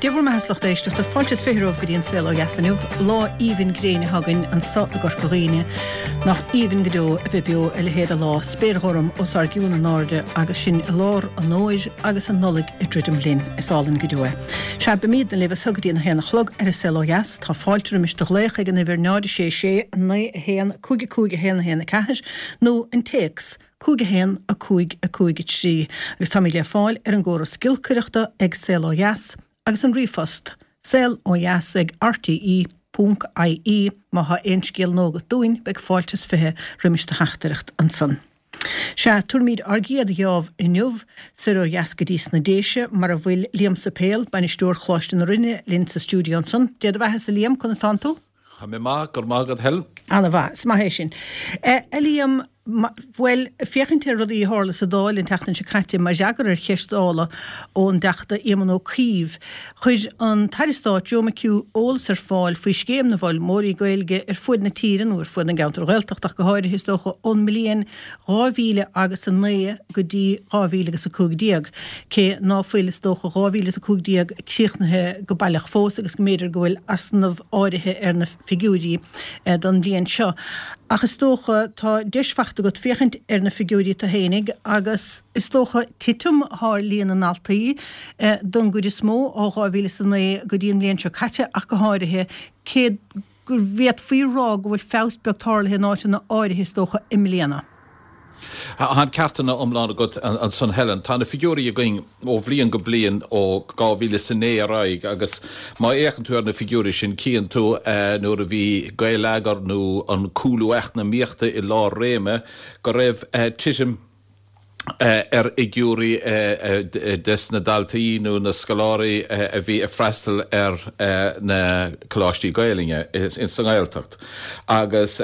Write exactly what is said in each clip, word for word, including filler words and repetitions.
Dia bhur mbeatha, a lucht éisteachta, fáilte is fiche romhaibh go dtí an Saol Ó Dheas inniu. Lá aoibhinn gréine atá againn anso i gCorca Dhuibhne. Nach aoibhinn go deo a bheith beo a leithéid de lá, spéir ghorm os ár gcionn in airde agus sinn i lár an fhómhair agus an Nollaig ag druidim linn. Is álainn go deo é. Sea, beimídne libh as seo go dtí an haon a chlog ar an Saol Ó Dheas. Tá fáilte roimis do ghlaoch ag an uimhir náid a sé sé, naoi a haon, cúig a cúig a haon a haon a ceathair nó an téacs cúig a haon, a cúig, a cúig a trí agus táimid le fáil ar an gcóras giolcaireachta ag Saol Ó Dheas agus an ríomhphost, saol ó dheas ag rte ponc ie. Má thá aon scéal nua agat dúinn, beidh fáilte is fiche roimis do theachtaireacht ansan. Sea, tabharfaimid ár gcéad gheábh inniu soir ó dheas go dtí sna Déise, mar a bhfuil Liam Suipéil, Bainisteoir Choláiste na Rinne, linn sa stiúideo ansan. Dé do bheathasa, a Liam, conas tánn tú? Tá mé maith, go raibh maith agat, Helen. Ana mhaith, is maith é sin. A Liam, bhuel, féachaint ar rudaí a tharla sa Dáil an tseachtain seo caite mar fhreagra ar cheist Dála ón dTeachta Éamon Ó Cuív, chuir an tAire Stáit Joe McHugh eolas ar fáil faoi scéim na bhfoghlaimeoirí Gaeilge ar fuaid na tíre, nó ar fuaid na gceantar Ghaeltachta ach go háirithe is dócha, ón mbliain dhá mhíle agus a naoi go dtí dhá mhíle agus a cúig déag, cé ná fuil, is dócha, dhá mhíle is a cúig déag críochnaithe go baileach fós agus go mb'fhéidir go bhfuil easnamh áirithe ar na figiúirí don bhliain seo. Ach is dócha, tá deis fachta agat féachaint ar na figiúirí tú fhéinig agus is dócha titim atá ar líon na ndaltaí don gcuid is mó ó dhá mhíle is a naoi go dtí an bhliain seo caite ach go háirithe, cé go bhféadfaí a rá go bhfuil feabhas beag tarlaithe in áiteanna áirithe is dócha i mbliana. Tá an ceart iomlán agat ansan Helen. Tá na figiúirí againn ó bhliain go bliain ó dhá mhíle is a naoi ar aghaidh agus má fhéachann tú ar na figiúirí sin cíonn tú nuair a bhí Gaeleagar nó an cúlú eacnamaíochta i lár réime go raibh titim ar fhigiúirí des na daltaí nó na scoláirí a bhí ag freastal ar na coláistí Gaelainne sa nGaeltacht agus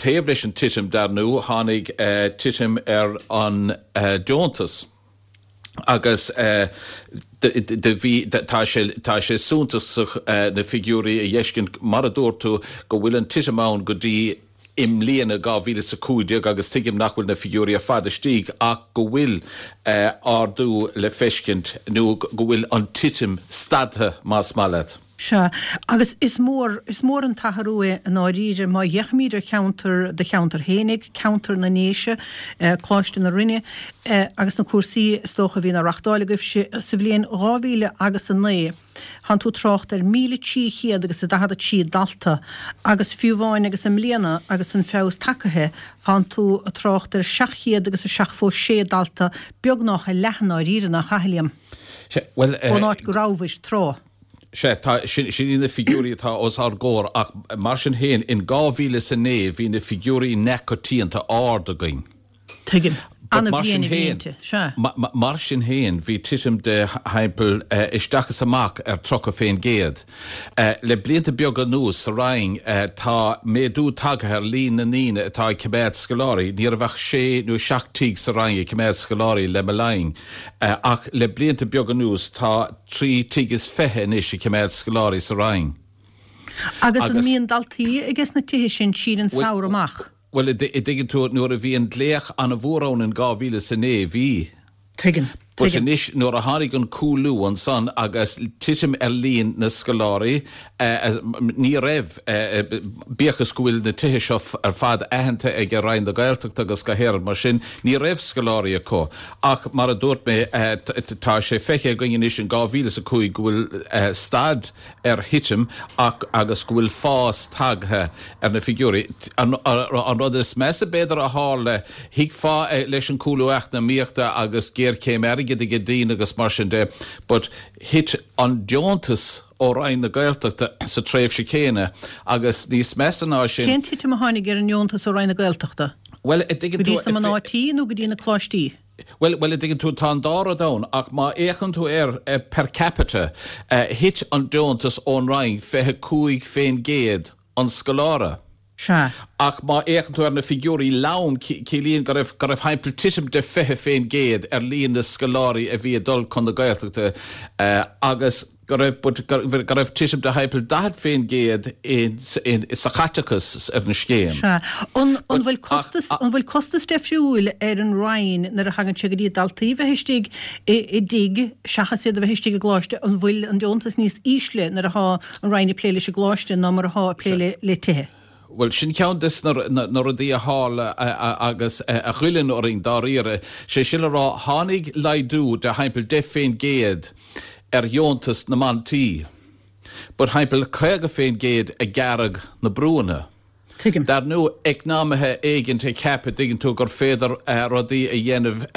taobh leis an titim, dar ndóigh, tháinig titim ar an deontas agus do bhí, tá sé, tá sé suntasach na figiúirí a dh'fheiscint, mar a dúirt tú, go bhfuil an titim ann go dtí i mbliana, dhá mhíle is a cúig déag, agus tuigim nach bhfuil na figiúirí ar fad istigh ach go bhfuil ardú le feiscint nó go bhfuil an titim stadtha, más maith leat. Sea, agus is mór, is mór an t-athrú é i ndáiríre má fhéachaimid ar cheantar, do cheantar fhéinig, ceantar na nDéise, Coláiste na Rinne, agus na cúrsaí is dócha a bhíonn á reachtáil agaibhse sa bhliain dhá mhíle agus a naoi, thánn tú ag trácht ar míle trí chéad agus a daichead a trí dalta agus fiú amháin agus i mbliana agus an feabhas tagaithe, thánn tú ag trácht ar seacht chéad agus a seachtó sé dalta, beagnach a leath i ndáiríre, nach ea, a Liam? Sea, bhuel, Ón áit go rabhais tráth. Sea, tá, sin, sin iad na figiúirí atá os ár gcomhair ach mar sin féin, in dhá mhíle is a naoi bhí na figiúirí neamhchoitianta ard againn. Tuigim. But mar An-bhliain sin a bhí féin, inti. Sea. mar sin féin, bhí titim de thimpeall isteach is amach ar tríocha fén gcéad. Le blianta beaga anuas sa Roinn tá méadú tagtha ar líon na ndaoine atá ag coimeád scoláirí. Ní raibh ach sé nó seacht tigh sa Roinn ag coimeád scoláirí le mo linn ach le blianta beaga anuas tá trí tigh is fiche anois ag coimeád scoláirí sa Roinn. Agus an mbíonn daltaí ages na tithe sin tríd an samhradh amach? Bhuel, a dtuigeann tú, nuair a bhí an glaoch an-mhór ann in dhá mhíle is a naoi, bhí. Tuigim. But Tuigim. anois, nuair a tháinig an cúlú ansan agus titim ar líon na scoláirí, ní raibh, bíodh is go bhfuil na tithe seo ar fad aitheanta ag Roinn na Gaeltachta agus go háirid mar sin, ní raibh scoláirí acu. Ach mar a dúirt mé, tá sé feicthe againn anois in dhá mhíle is a cúig go bhfuil stad ar thitim ach agus go bhfuil fás tagtha ar na figiúirí. An rud is measa b'fhéidir a tharla, thuigfeá leis an cúlú eacnamaíochta agus géarchéim airgid ag daoine agus mar sin de, but thit an deontas ó Roinn na Gaeltachta sa tréimhse chéanna agus níos measa ná sin, Cén titim a tháinig ar an ndeontas ó Roinn na Gaeltachta? Bhuel, a dtuigeann Go dtí tú, sna mná tí nó go dtí na coláistí? Bhuel, bhuel, a dtuigeann tú, tá an dá rud ann, ach má fhéachann tú air per capita, thit an deontas ón Roinn fiche cúig fén gcéad an scoláire. Sea. Ach má fhéachann tú ar na figiúirí lom, ciallaíonn go raibh, go raibh thimpeall titim de fiche fén gcéad ar líon na scoláirí a bhí ag dul chun na Gaeltachta agus, go raibh go raibh titim de thimpeall daichead faoin gcéad sa chaiteachas ar an scéim. Sea. An bhfuil costas, an bhfuil costas difriúil ar an Roinn nuair a thagann sé go dtí daltaí bheith istigh i dtigh seachas iad a bheith istigh i gcoláiste? An bhfuil an deontas níos ísle nuair atá an Roinn ag plé leis an gcoláiste ná mar atá ag plé le tithe? Bhuel, sin ceann des na rudaí a tharla agus a ghoilleann orainn dáiríre. Sé sin le rá, tháinig laghdú de thimpeall deich faoin gcéad ar dheontas na mban tí, but thimpeall caoga faoin gcéad a gearradh na brúanna. Tuigim. Dar ndóigh, eacnamaithe éigint ag ceapadh, dtuigeann tú, gur féidir rudaí a dhéanamh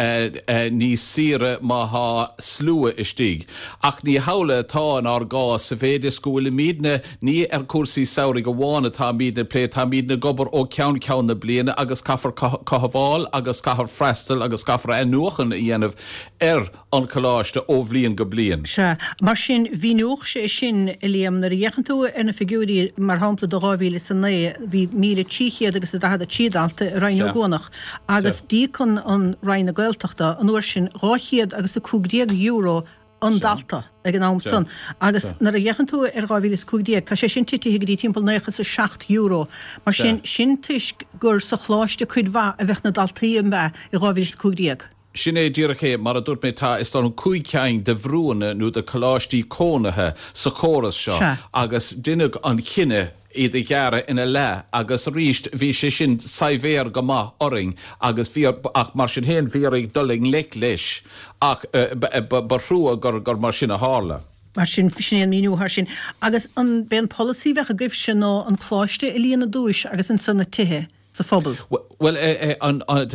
níos saoire má thá slua istigh. Ach ní hamhlaidh atá inár gcás sa mhéid is go bhfuilimidne, ní ar chúrsaí samhraidh amháin atáimidne ag plé, táimidne ag obair ó cheann ceann na bliana agus caithfear cothabháil agus caithfear freastal agus caithfear athnuachan a dhéanamh ar an choláiste ó bhliain go bliain. Sea. Mar sin, mhíneodh sé sin, a Liam, nuair a fhéachann tú ar na figiúirí, mar shampla, do dhá mhíle is a naoi, bhí míle trí chéad agus a daichead a trí dalta i Roinn Ó gCuanach agus d'íoc an Roinn na Gaeltachta an uair sin dhá chéad agus a cúig déag euro an dalta ag an am san. Agus nuair a fhéachann tú ar dhá mhíle is a cúig déag, tá sé sin titithe go dtí timpeall naocha is a seacht euro. Mar sin, sin toisc gur sa choláiste cuid mhaith a bheadh na daltaí, an ea, i dhá mhíle is a cúig déag. Sin é díreach é, mar a dúirt mé, tá, is dóigh liom, cúig cinn de bhrúanna nó de choláistí cónaithe sa chóras seo agus deineadh an cinneadh iad a ghearradh ina leath agus arís bhí sé sin saibhéar go maith orainn agus bhí, ach mar sin féin bhí orainn dul i ngleic leis ach ba thrua gur gur mar sin a tharla. Mar sin, sin é an míniú thar sin. Agus an b'é an polasaí a bheadh agaibhse ná an coláiste a líonadh i dtúis agus ansan na tithe? sa phobal? Bhuel,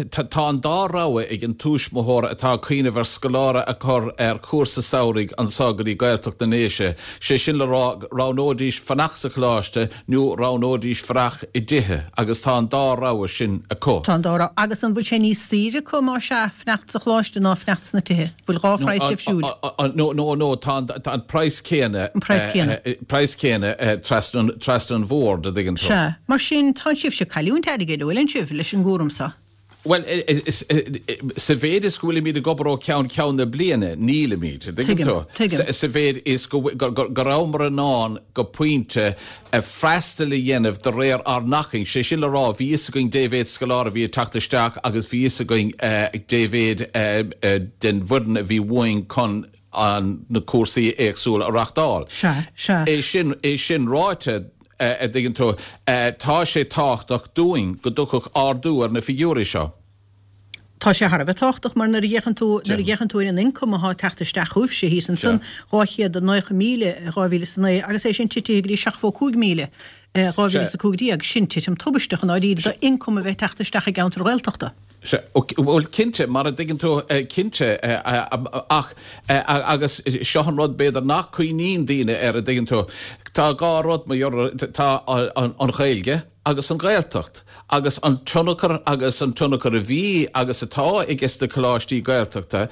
tá an dá rogha ag an tuismitheoir atá ag cuimhneamh ar scoláire a chur ar chúrsa samhraidh anso go dtí Gaeltacht na nDéise, sé sin le rá, roghnóidís fanacht sa choláiste nó roghnóidís fanacht i dtithe agus tá an dá rogha sin acu. Tá an dá rogha. Agus an bhfuil sé níos saoire acu, más ea, fanacht sa choláiste ná fanacht sna tithe? Bhfuil dhá phraghas difriúil? No, no, no, tá an praghas céanna. An praghas céanna. Praghas céanna trasna an bhord, a dtuigeann tú. Sea. Mar sin, tá sibhse ag cailliúint airgid, an bhfuileann sibh, leis an gcúram seo? Bhuel, sa mhéid is go bhfuilimid ag obair ó cheann ceann na bliana, nílimid, a dtuigeann tú. Tuigim. Sa mhéid is go rabhamar in ann go pointe freastal a dhéanamh de réir ár n-acmhainn, sé sin le rá, bhí fhios againn dé mhéad scoláire a bhí ag teacht isteach agus bhí fhios againn dé mhéad den bhfoireann a bhí uainn chun an na cúrsaí éagsúla a reachtáil. Sea, sea. É sin, é sin ráite, a dtuigeann tú, tá sé tábhachtach dúinn go dtiocfadh ardú ar na figiúirí seo. Tá sé thar a bheith tábhachtach mar nuair a fhéachann tú, nuair a fhéachann tú ar an ioncam atá ag teacht isteach chugaibhse thíos ansan, dhá chéad a naocha míle i dhá mhíle is a naoi agus é sin titithe go dtí seachtó cúig míle i dhá mhíle is a cúig déag, sin titim tubaisteach i ndáiríre d'ioncam a bheith ag teacht isteach i gceantar Ghaeltachta. Sea, bhuel, cinnte, mar a dtuigeann tú, cinnte, ach, agus seo an rud b'fhéidir nach cuimhníonn daoine air, a dtuigeann tú, tá dhá rud, mar tá an Ghaeilge agus an Ghaeltacht, agus an tionchar agus an tionchar a bhí agus atá ages na coláistí Gaeltachta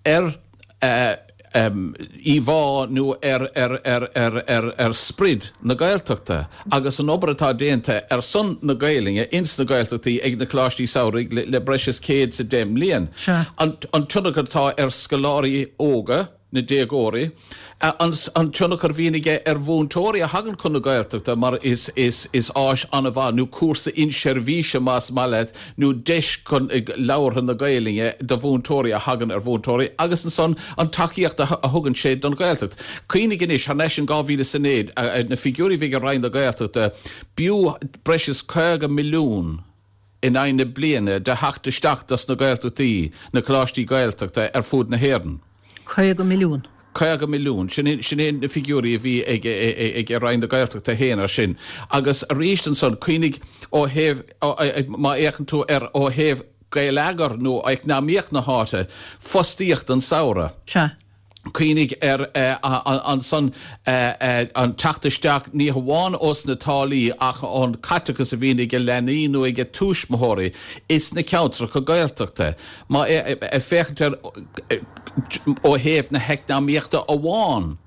ar íomhá nó ar sprid na Gaeltachta agus an obair atá déanta ar son na Gaelainne ins na Gaeltachtaí ag na Coláistí Samhraidh le breis is céad is a deich mbliain. An tionchar atá ar scoláirí óga, na déagóirí, an tionchar a bhíonn aige ar mhúinteoirí a thagann chun na Gaeltachta mar is is áis an-mhaith nó cúrsa inseirbhíse más maith leat nó deis chun labhartha na Gaelainne do mhúinteoirí a thagann ar mhúinteoirí agus ansan an tacaíocht a thugann sé don Ghaeltacht. Cuimhnigh anois, thar n-ais in dhá mhíle is a naoi, na figiúirí a bhí ag Roinn na Gaeltachta, b'fhiú breis is caoga milliún in aghaidh na bliana de theacht isteach dos na Gaeltachtaí, na coláistí Gaeltachta ar fud na hÉireann. Caoga milliún. Caoga milliún. Sin é, sin é na figiúirí a bhí ag, ag, ag Roinn na Gaeltachta féin ar sin. Agus arís ansan, cuimhnigh ó thaobh, má fhéachann tú ar ó thaobh geilleagar nó eacnamaíocht na háite, fostaíocht an samhradh. Sea. Cuimhnigh ar ansan an teacht isteach ní hamháin ós na táillí ach ón caiteachas a bhíonn ag leanaí nó ag tuismitheoirí is na ceantracha Gaeltachta. Má féachaint ar ó thaobh na heacnamaíochta amháin,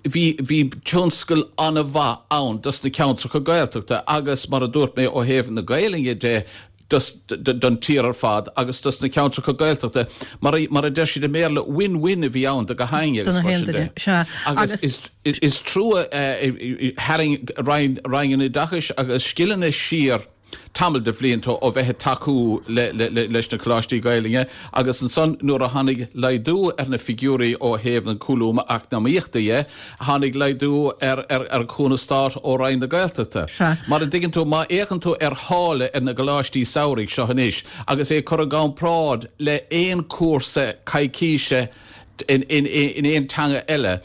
bhí bhí tionscal an-mhaith ann dos na ceantracha Gaeltachta agus mar a dúirt mé ó thaobh na Gaelainne de, don tír ar fad agus dos na ceantracha Gaeltachta mar mar a deir siad i mBéarla win-win a bhí ann do gach éinne agus mar sin de. Agus is is trua tharraing Roinn Roinn an Oideachais agus Scileanna siar tamall de bhlianta ó bheith ag tacú leis na coláistí Gaelainne agus ansan nuair a tháinig laghdú ar na figiúirí ó thaobh an cúlú eacnamaíochta dhe, tháinig laghdú ar ar chúnamh stáit ó Roinn na Gaeltachta. Mar a dtuigeann tú, má fhéachann tú ar tháille ar na gcoláistí samhraidh seo anois agus é curtha i gcomparáid le aon chúrsa coicíse in in aon teanga eile,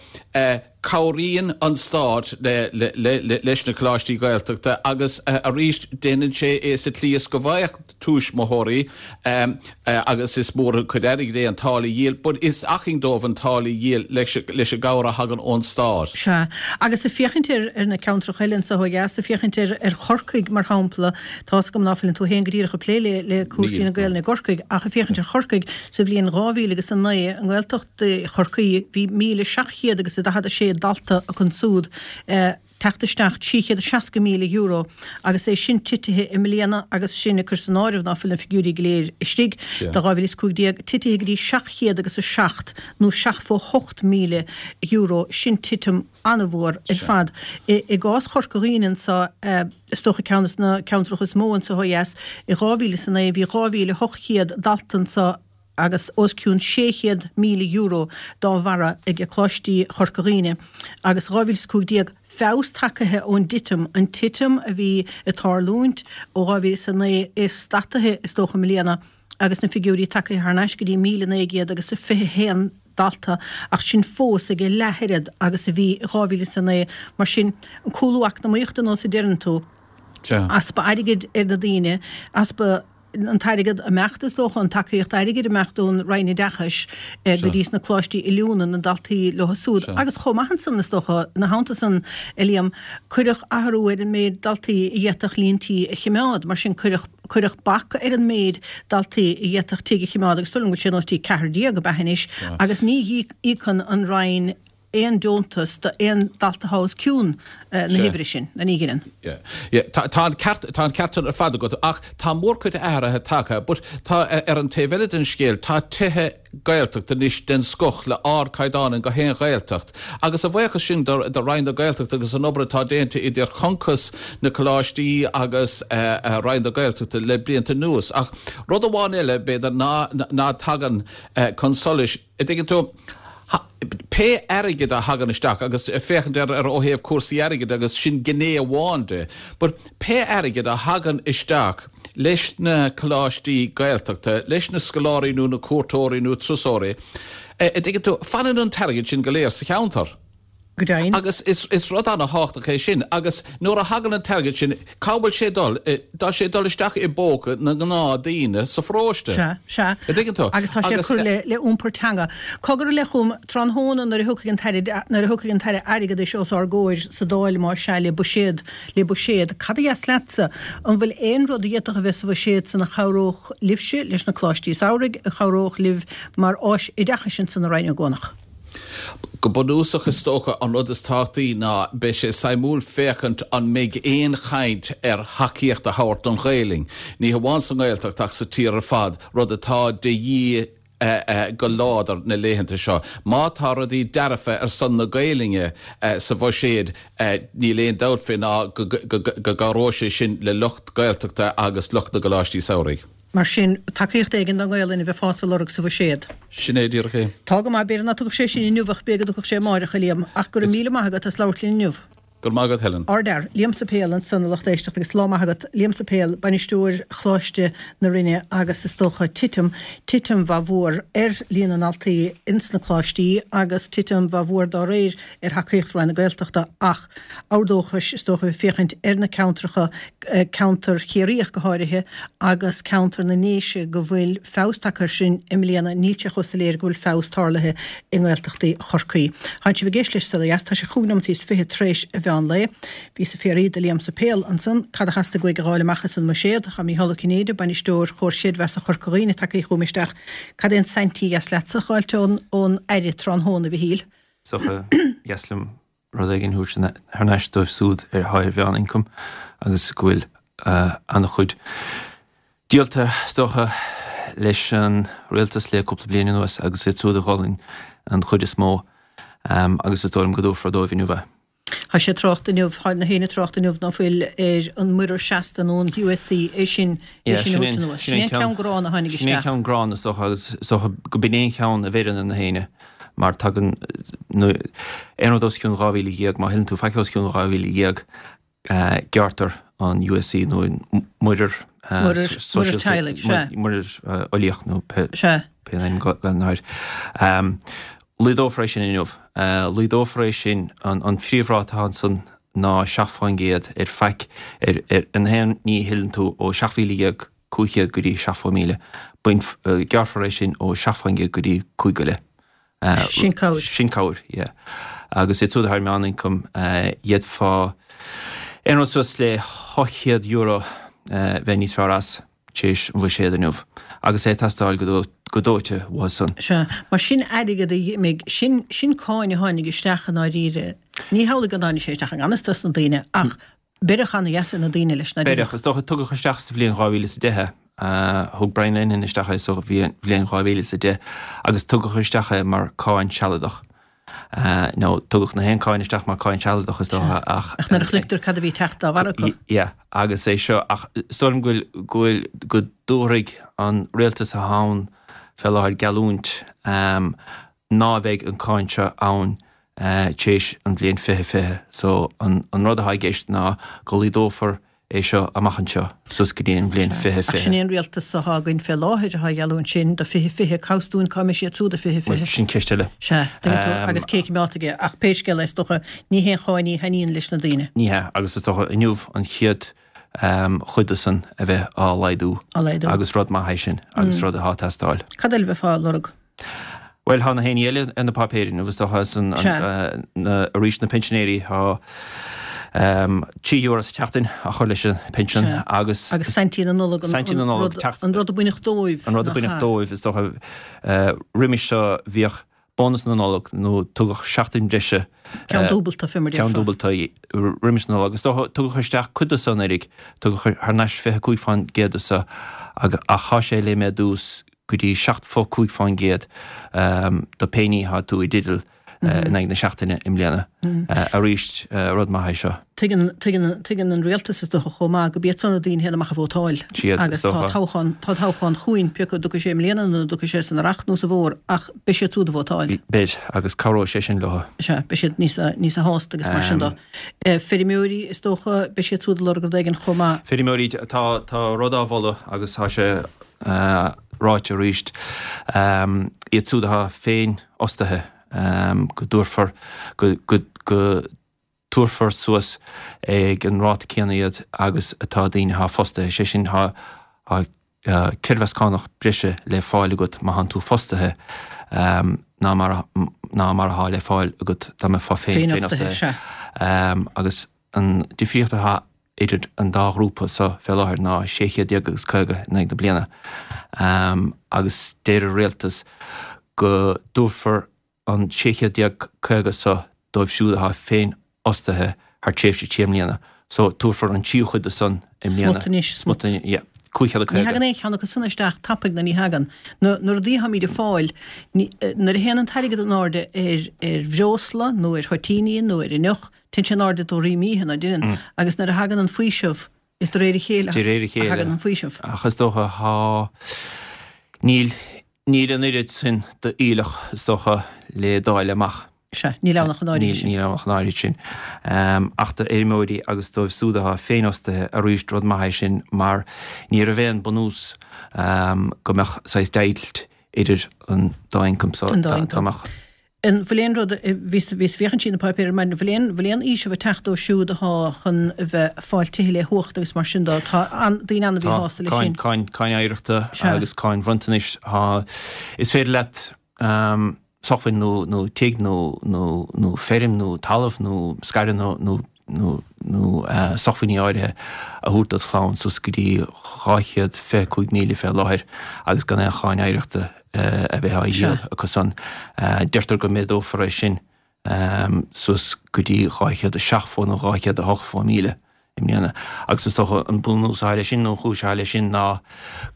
cabhraíonn an stát leis na coláistí Gaeltachta agus arís déanann sé é sa tslí is go bhfaigheadh tuismitheoirí agus is mór an cuid airgid é an táille a dhíol but is acmhainn dóibh an táille a dhíol leis an gcabhair a thagann ón stát. Sea, agus ag féachaint ar na ceantracha eile anseo ó dheas, ag féachaint ar Chorcaigh mar shampla, tá's agam ná fuileann tú féin go díreach ag plé le cúrsaí na Gaelainne i gCorcaigh ach ag féachaint ar Chorcaigh sa bhliain dhá mhíle agus a naoi i nGaeltacht Chorcaí bhí míle seacht chéad agus a daichead a sé dalta acu ansúd teacht isteach trí chéad is seasca míle euro agus é sin titithe i mbliana agus sin ag cur san áireamh ná fuil na figiúirí go léir istigh do dhá mhíle is cúig déag, titithe go dtí seacht chéad agus a seacht nó seachtó hocht míle euro, sin titim an-mhór ar fad. I gcás Chorca Dhuibhne anso, is dócha ceann de na ceantracha is mó anso ó dheas, i dhá mhíle is a naoi bhí dhá mhíle hocht chéad dalta anso, agus os cionn sé chéad míle euro dá bharra ag Coláistí Chorca Dhuibhne agus dhá mhíle is cúig déag feabhas tagaithe ón dtitim, an titim a bhí ag tarlúint ó dhá mhíle is a naoi é stataithe is dócha i mbliana agus na figiúirí tagaithe thar n-ais go dtí míle naoi gcéad agus a fiche haon dalta ach sin fós ag a leath oiread agus a bhí i dhá mhíle is a naoi. Mar sin, an cúlú eacnamaíochta nós a deireann tú, easpa airgid ar na daoine, easpa. an t-airgead ag imeacht, is dócha, an tacaíocht airgid ag imeacht ón Roinn Oideachais go dtí sna coláistí oiliúna, na daltaí leo súd. Agus chomh maith ansan, is dócha, ina theannta san, a Liam, cuireadh athrú ar an méid daltaí a d'fhéadfadh líon tí a chimeád. Mar sin, cuireadh, cuireadh bac ar an méid daltaí a d'fhéadfadh tigh a chimeád agus is dóigh liom go bhfuil sé nós dtí ceathrar déag ab ea anois agus ní íocann an Roinn aon deontas do aon dalta atá os cionn na huimhre sin, nó ní dheineann. Yeah. Yeah. Tá, tá an ceart, tá an ceart ar fad agat, ach tá mórchuid athraithe tagtha, but tá, ar an taobh eile den scéal, tá tithe Gaeltachta anois den scoth le ardchaighdeán in gach aon Ghaeltacht. Agus a bhuíochas sin do, do Roinn na Gaeltachta agus an obair atá déanta idir Concos, na coláistí agus eh, eh, Roinn na Gaeltachta le blianta anuas. Ach rud amháin eile, b'fhéidir, ná, ná tagann eh, chun solais, a dtuigeann tú, Pé airgead a thagann isteach, agus féachaint ar ar ó thaobh cúrsaí airgid agus sin gné amháin de, but pé airgead a thagann isteach leis na coláistí Gaeltachta, leis na scoláirí nó na cuairteoirí nó turasóirí, a dtuigeann tú, fanann an t-airgead sin go léir sa cheantar. Go deimhin. Agus is is rud ana-thábhachtach é sin. Agus nuair a thagann an t-airgead sin, cá bhfuil sé ag dul? Tá sé ag dul isteach i bpóca na ngnáthdhaoine sa pharóiste. Sea, sea. A dtuigeann tú? Agus tá sé ag cur le le iompar teanga. Cogar i leith chugam, tráthnóna nuair a thiocfaidh an tAire nuair a thiocfaidh an tAire Airgeadais os ár gcomhair sa Dáil, más ea, le buiséad, le buiséad, cad a dheas leatsa? An bhfuil aon rud a d'fhéadfadh a bheith sa bhuiséad san a chabhródh libhse leis na coláistí samhraidh, a chabhródh libh mar áis oideachais ansan i Rinn Ó gCuanach? Go bunúsach, is dócha, an rud is tábhachtaí ná beidh sé suimiúil féachaint an mbeidh aon chaint ar thacaíocht a thabhairt don Ghaelainn, ní hamháin sa nGaeltacht ach sa tír ar fad, rud atá de dhíth go láidir na laethanta seo. Má tá rudaí dearfa ar son na Gaelainne sa bhuiséad, níl aon dabht fé ná go gcabhróidh sé sin le lucht Gaeltachta agus lucht na gcoláistí samhraidh. Mar sin, tacaíocht éigin don Ghaelainn a bheifeása ag lorg sa bhuiséad. Sin é díreach é. Tá go maith, b'fhéidir ná tiocfadh sé sin inniu ach b'fhéidir go dtiocfadh sé amáireach, a Liam. Ach go raibh míle maith agat as labhairt linn inniu. Go raibh maith agat, Helen. Ardfhear. Liam Suipéil ansan, a lucht éisteachta, agus lá maith agat. Liam Suipéil, bainisteoir Choláiste na Rinne agus is dócha titim, titim mhaith mhór ar líon na ndaltaí ins na coláistí agus titim mhaith mhór dá réir ar thacaíocht Roinn na Gaeltachta ach ábhar dóchais is dócha bheith féachaint ar na ceantracha, ceantar Chiarraí ach go háirithe, agus ceantar na nDéise go bhfuil feabhas tagtha air sin i mbliana, níl sé chomh soiléir go bhfuil feabhas tarlaithe i nGaeltachtaí Chorcaí. Tánn sibh ag éisteacht leis Saol Ó Dheas, tá sé chúig nóimeataí is fiche tar éis a mheán lae. Bhí ag fiafraí de Liam Suipéil ansan cad a theastaigh uaidh a dh'fháil amach as an mbuiséad. Tá Mícheál Ó Cinnéide, bainisteoir Chomhar Creidmheasa Chorca Dhuibhne tagtha chugam isteach. Cad é an saintí a dheas leatsa a dh'fháilt ón Aire tráthnóna, a Mhichíl? Is dócha, dheas liom rud éigin a thabhairt thar n-ais dóibh súd ar atá ar mheán-ioncam agus go bhfuil an-chuid díolta is dócha leis an rialtas le cúpla bliain anuas agus iad siúd a dh'ólann an chuid is mó agus is dóigh liom go dtabharfar dóibh inniu é. Tá sé trácht inniu, tá na héinne trácht inniu ná fuil ar an muirear seasta nó an U S C é sin é sin a thabhairt anuas. Sin é an ceann gránna a tháinig Sin é an isteach. ceann gránna is dócha agus is dócha go b'in é an cheann a bheireann ar na héinne mar tagann aon rud os cionn dhá mhíle dhéag, má thuilleann tú faic os cionn dhá mhíle dhéag gearrtar an U S C nó an muirear Muirear muirear teaghlaigh, sea. Muirear uilíoch nó pé Sea. pé ainm gan air. Laghdófar é sin inniu. Laghdófar é sin an an phríomhráta ansan ná seacht faoin gcéad ar faic ar ar an haon ní a thuilleann tú ó seacht mhíle dhéag cúig chéad go dtí seacht fó míle. Bain gearrfar é sin ó seacht faoin gcéad go dtí cúig go leith. Sin cabhair. Sin cabhair, yeah. Agus iad siúd ar meánioncam d'fhéadfá aon rud suas le ocht chéad euro bheith níos fearr as tar éis an bhuiséad inniu. Agus é ag teastáil go go dóite uathu san. Sea, mar sin airgead a d'imigh, sin sin cáin a tháinig isteach i ndáiríre. Ní hamhlaidh go dtáinig sé isteach i ngan fhios dos na daoine ach beireadh ana-dheas ar na daoine leis na Beireadh, is dócha tugadh isteach sa bhliain dhá mhíle is a deich é. Thug Brian Lenihan isteach é sa bhliain dhá mhíle is a deich agus tugadh isteach é mar cáin sealadach. Nó tugadh na haon cáin isteach mar cáin sealadach is dócha ach Ach nuair a chloictear cad a bhí teacht dá bharr acu. Yeah, agus é seo ach is dóigh liom go bhfuil go bhfuil go dtabharfaidh an rialtas atá ann fé láthair geallúint ná bheidh an cáin seo ann tar éis an bhliain fiche fiche. So an an rud atá i gceist ná go laghdófar é seo amach anseo suas go dtí an bhliain fiche Ach sin fiche. é an rialtas atá againn fé láthair atá geallúint sin do fiche fiche cabhstún cá mbeidh siad siúd do fiche Well, fiche. sin ceist eile. Sea, tuigeann tú, Um, agus cé cimeát aige ach pé scéal é is dócha ní haon cháin í a thaitníonn leis na daoine. Ní hea, agus is dócha inniu an chéad um, chuid de san a bheith á laghdú Á laghdú. agus rud maith é sin agus rud atá ag teastáil. Cad eile bheifeá ag lorg? Well tá na héinne eile ar na páipéirí agus dócha san Sea. na arís na pinsinéirí tá um, trí euro sa tseachtain a chur leis an pinsean Sea. agus Agus Saintí na Nollag an- Saintí na an Nollag, rud- teacht- an rud a baineadh dóibh. An rud a nach baineadh ea? dóibh is dócha uh, roimis seo bhíodh bónas na Nollag nó tugadh seachtain breise Ceann dúbalta fé mar ceann déarfá. dúbalta roimis na Nollag. Is dócha tugadh isteach cuid de san anuraidh, tugadh thar n-ais fiche cúig faoin gcéad de sa ach ach tá sé le méadú go dtí seacht fo cúig faoin gcéad um, do pé ní atá tú i dteideal uh, in aghaidh na seachtaine i mbliana. Uh, arís uh, rud maith é seo. Tuigeann tuigeann tuigeann an rialtas is dócha chomh maith go b'iad san na daoine féin amach a vótáil. Siad, Agus is tá dócha. toghchán tá toghchán chugainn pé acu dtiocfaidh sé i mbliana nó dtiocfaidh sé san earrach nó sa bhfómhar ach beidh siad siúd a vótáil. Beidh agus cabhróidh sé sin leo. Sea, beidh siad níos níos sásta agus mar sin de. Eh, Feirmeoirí is dócha beidh siad siúd ag lorg rud éigin chomh maith. Feirmeoirí tá tá rud á mholadh agus tá sé uh, ráite arís um, iad siúd atá féinfhostaithe um, go dtabharfar go, go, go tabharfar suas ag an ráta céanna iad agus atá daoine atá fostaithe sé sin tá uh, creidmheas cánach breise le fáil agat má thánn tú fostaithe um, ná mar a- ná mar atá le fáil agat dá mbeifeá féin Féinfhostaithe, sea. Um, agus an difríocht atá idir an dá ghrúpa so fé láthair ná sé chéad déag agus caoga in aghaidh na bliana. Um, agus deir an rialtas go dtabharfar an sé chéad déag caoga so dóibh siúd atá féinfhostaithe thar tréimhse trí mbliana. So tabharfar an tríú cuid de san i mbliana. Smut anois, smut. Smut anois, yeah. Cúig chéad Ní caoga. thagann aon cheann acu san isteach tapaidh na ní thagann. Na na rudaí atáimid ag fáil, ní- eh, nuair a théann an t-airgead in airde ar ar bhreosla nó ar thoitíní nó ar fhuinneamh, téann sé in airde dá réir míche ná deineann. Agus nuair a thagann an faoiseamh, is de réir a chéile De réir a chéile. a thagann an faoiseamh. Ach is dócha thá níl níl an oiread sin d'aoileach is dócha le dáil amach. Sea, níl ann ach an áirithe Níl sin. níl ann ach an áirithe sin. Um, ach do fheirmeoirí agus dóibh siúd atá féinfhostaithe arís rud maith é sin mar ní raibh aon bunús um, go mbeadh saghas deighilt idir an dá ioncam so An dá dá- ioncam. dá mbeadh An bhfuil aon rud bhí bhí féachaint sí na páipéir mar bhfuil aon bhfuil aon fhaoiseamh ag teacht dóibh siúd atá chun a bheith fáil tithe le huacht agus mar sin dó tá an daoine ann a bhí Tá sásta le cáin sin. cáin cáin oidhreachta Sea. agus cáin bhronntanais tá is féidir leat um, sócmhainn nó nó tigh nó nó nó feirm nó talamh nó scaireanna nó nó nó nó uh, sócmhainní áirithe a thabhairt dod chlann suas go dtí dhá chéad fiche cúig míle fé láthair agus gan aon cháin oidhreachta uh, a bheith á dhíol acu san. Uh, deirtear go méadófar é sin um, suas go dtí dhá chéad a seachtó nó dhá chéad a hochtó míle i mbliana. Agus is dócha an bunús atá leis sin nó an chúis atá leis sin ná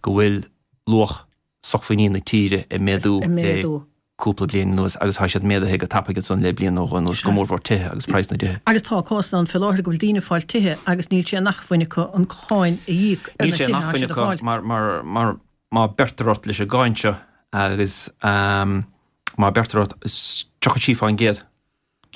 go bhfuil luach sócmhainní na tíre ag méadú le cúpla bliain anuas agus tá siad méadaithe go tapaidh ansan le bliain nó dhó anuas, go mórmhór tithe agus praghas na dtithe. Agus tá cásanna ann fé láthair go bhfuil daoine ag fáil tithe agus níl sé in acmhainn acu an cháin a íoc ar na tithe atá siad a fháil. Mar, mar, mar má beirtear ort leis an gcáin seo agus má beirtear ort is tríocha trí fán gcéad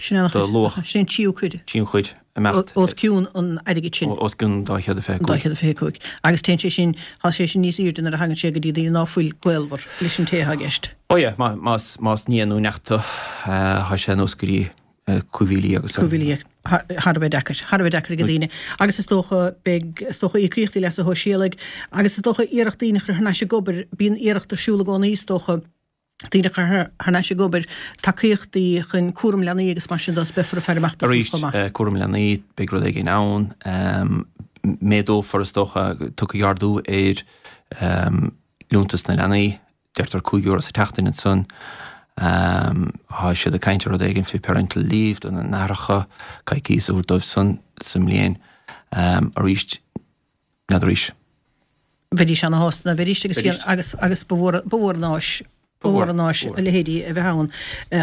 Sin an de luach. Sin an tríú cuid. Tríú cuid imeacht. Os cionn an airgid sin. Os cionn an dá chéad a fiche cúig. Dá chéad a fiche cúig. Agus téann sé sin, tá sé sin níos airde nuair a thagann sé go dtí daoine ná fuil gaolmhar leis an té atá i gceist. Ó yeah, más, más nia nó neacht tú, tá sé anuas go dtí cúig mhíle dhéag agus. Cúig mhíle dhéag. Thar a bheith deacair. Thar a bheith deacair ag daoine. Agus is dócha, beidh, is dócha íocaíochtaí leasa shóisialaigh agus is dócha iarracht daoine a chur thar n-ais ag obair, bíonn iarracht ar siúl i gcónaí is dócha, daoine a chur thar n-ais ag obair, tacaíochtaí chun cúram leanaí agus mar sin de, is beifear ag faire amach dó sin chomh maith. Arís, cúram leanaí, beidh rud éigin ann. Méadófar, is dócha, tiocfaidh ardú ar liúntas na leanaí, deirtear cúig euro sa tseachtain ansan. Tá siad ag caint ar rud éigin faoi parental leave do na n-aithreacha, coicís a thabhairt dóibh san sa mbliain. Arís, n'fheadar arís. Bheidís ana-shásta ná bheidís agus agus agus ba mhór ba mhór an áis ba mhór an áis a leithéidí a bheith ann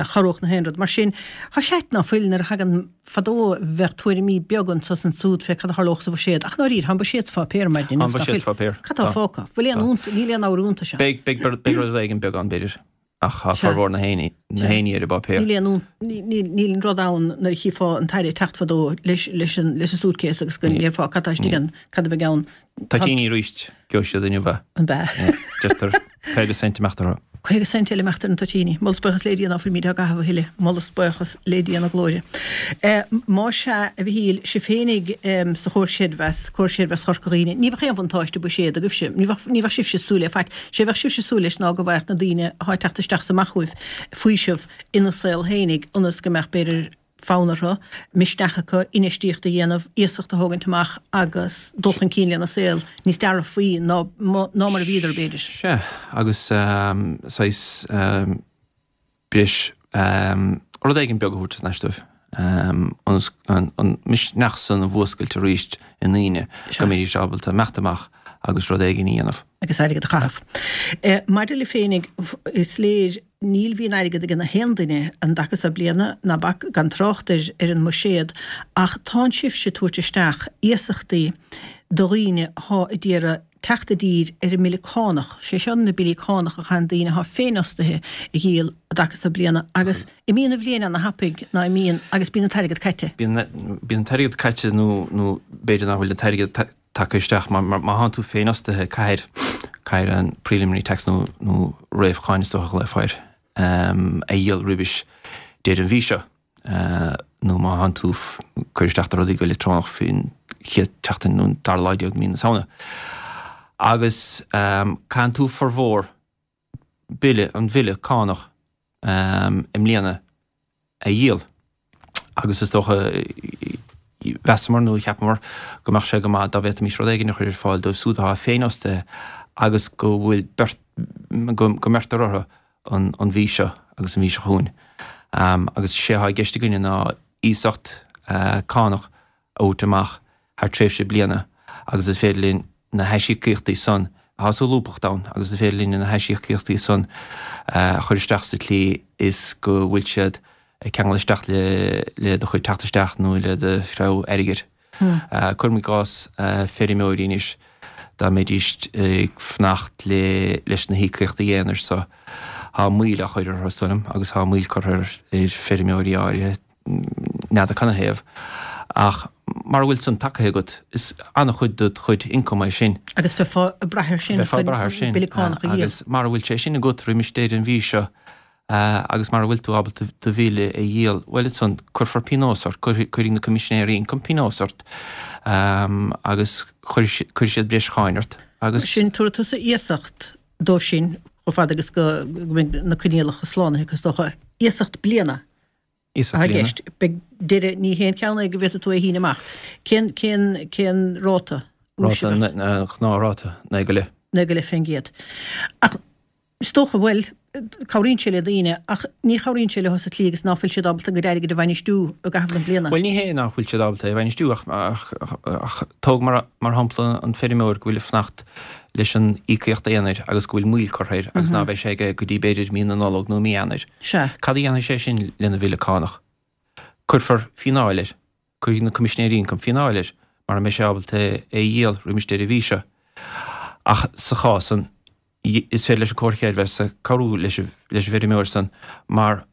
chabhródh na haon rud. Mar sin, tá sé ait ná fuil nuair a thagann fadó bheadh tuairimí beaga anso is ansúd fé cad a tharlódh sa bhuiséad ach ndáiríre tá an buiséad sa pháipéar ar maidin Tá an buiséad sa pháipéar. Cad tá fágtha? Bhfuil aon níl aon ábhar iontais ann. Beidh beidh beidh rud éigin beag ann b'fhéidir. Ach tá formhór na héinne ar an bpáipéar. Níl aon, níl an rud ann nuair a chífeá an tAire ag teacht fadó leis an suitcase agus go ndéarfá cad tá istigh ann, cad a bheidh ann. Toitíní arís, gheobhaidh siad inniu é. An b'ea? Deirtear caoga cent imeacht orthu. Caoga cent eile imeacht ar na toitíní. Moladh is buíochas le Dia ná fuilimid á gcaitheamh a thuilleadh. Moladh is buíochas le Dia na glóire. Más ea, a Mhichíl, sibh féinig sa Chomhar Creidmheas, Comhar Creidmheas Chorca Dhuibhne, ní bheadh aon bhuntáiste buiséad agaibhse, ní bheadh, ní bheadh sibhse ag súil le faic. Sé a bheadh sibhse ag súil leis ná go bhfaigheadh na daoine atá ag teacht isteach is amach chugaibh faoiseamh ina saol féinig ionas go mbeadh, b'fhéidir, fonn orthu, misneach acu, infheistíocht a dhéanamh, iasacht a thógaint amach agus dul chun cinn lena saol níos dearfaí ná, ná mar a bhíodar, b'fhéidir. Sea, agus saghas breis, rud éigin beag a thabhairt thar n-ais dóibh, ionas an misneach san a mhúscailt arís i ndaoine, go mbeidís ábalta imeacht amach agus rud éigin a dhéanamh. Agus airgead a chaitheamh. Maidir libh féinig, is léir, níl bhíonn airgead ag na haon duine an dtaca so bliana, ná bac, gan trácht ar ar an mbuiséad, ach tánn sibhse ag tabhairt isteach iasachtaí do dhaoine athá a d'iarraidh teacht i dtír ar an mbille cánach, sé seo na billí cánach a chaitheann daoine athá féinfhostaithe a dhíol an dtaca so bliana, agus imíonn an bhliain ana thapaidh ná imíonn agus bíonn an t-airgead caite. Bíonn an t-airgead caite nó nó b'fhéidir nach bhfuil an t-airgead tagtha isteach mar má thánn tú féinfhostaithe caithfidh caithfidh an preliminary tax nó nó réamhcháin is dócha a ghlaofá air a dhíol roimhis deireadh an mhí seo nó má thánn tú cur isteach do rudaí go leictreonach faoin chéad tseachtain nó an dara lá déag de mhí na Samhna. Agus caitheann tú formhór bille, an bhille cánach i mbliana a dhíol agus is dócha mheasamar nó cheapamar go mbeadh sé go maith dá bhféadfaimis rud éigin a chur ar fáil dóibh siúd atá féinfhostaithe agus go bhfuil beirt, go mbeirtear orthu an an mhí seo agus an mhí seo chugainn. Agus sé atá i gceist againne ná iasacht cánach a thabhairt amach thar tréimhse bliana agus is féidir linn na haisíocaíochtaí san, tá solúbthacht ann agus is féidir linn na haisíocaíochtaí san a chur isteach sa tslí is go bhfuil siad ag ceangal isteach le le do chuid teacht isteach nó le do shreabhadh airgid. Cuirim i gcás feirmeoirí anois, dá mbeidís ag fanacht le leis na híocaíochtaí aonair so, tá moill á chur orthu is dóigh liom agus tá moill curtha ar feirmeoirí áirithe, n'fheadar canathaobh, ach mara bhfuil san tagtha agat, is an-chuid de do chuid ioncaim é sin. Agus bheifeá ag brath air sin Bheifeá ag brath air sin chun bille cánach a dhíol. Agus mara bhfuil sé sin agat roimis deireadh an mhí seo, agus mara bhfuil tú ábalta do bhille a dhíol, bhuel ansan cuirfear pionós ort, cuirfidh na Coimisinéirí Ioncaim pionós ort agus cuirfidh siad breis cháin ort agus. Mar sin, tabharfaidh tusa iasacht dóibh sin chomh fada agus go mbeidh na coinníollacha slánaithe acu is dócha. Iasacht bliana Iasacht atá i bliana. gceist. Beidh deireadh, ní haon cheann é go bhféadfaidh tú é a shíneadh amach. Cén, cén, cén ráta úis a Ráta, bheadh? gnáthráta, naoi go leith. Naoi go leith fén gcéad. Ach Is dócha, bhuel, cabhraíonn sé le daoine ach ní chabhraíonn sé leo sa tslí agus ná fuil siad ábalta a gcuid airgid a bhainistiú i gcaitheamh na bliana. Bhuel, ní hé nach bhfuil siad ábalta é a bhainistiú ach, ach, ach tóg mar, mar shampla an feirmeoir go bhfuil ag fanacht leis an íocaíocht aonair agus go bhfuil moill curtha air agus ná beidh sé aige go dtí b'fhéidir mí na Nollag nó mí Eanáir. Sea. Cad a dhéanfaidh sé sin lena bhille cánach? Cuirfear fíneáil air. Cuirfidh na Coimisinéirí Ioncaim fíneáil air mara mbeidh sé ábalta é a dhíol roimis deireadh mhí seo. Ach sa chás san, is féidir leis an Comhar Creidmheasa cabhrú leis an bhfeirmeoir san mar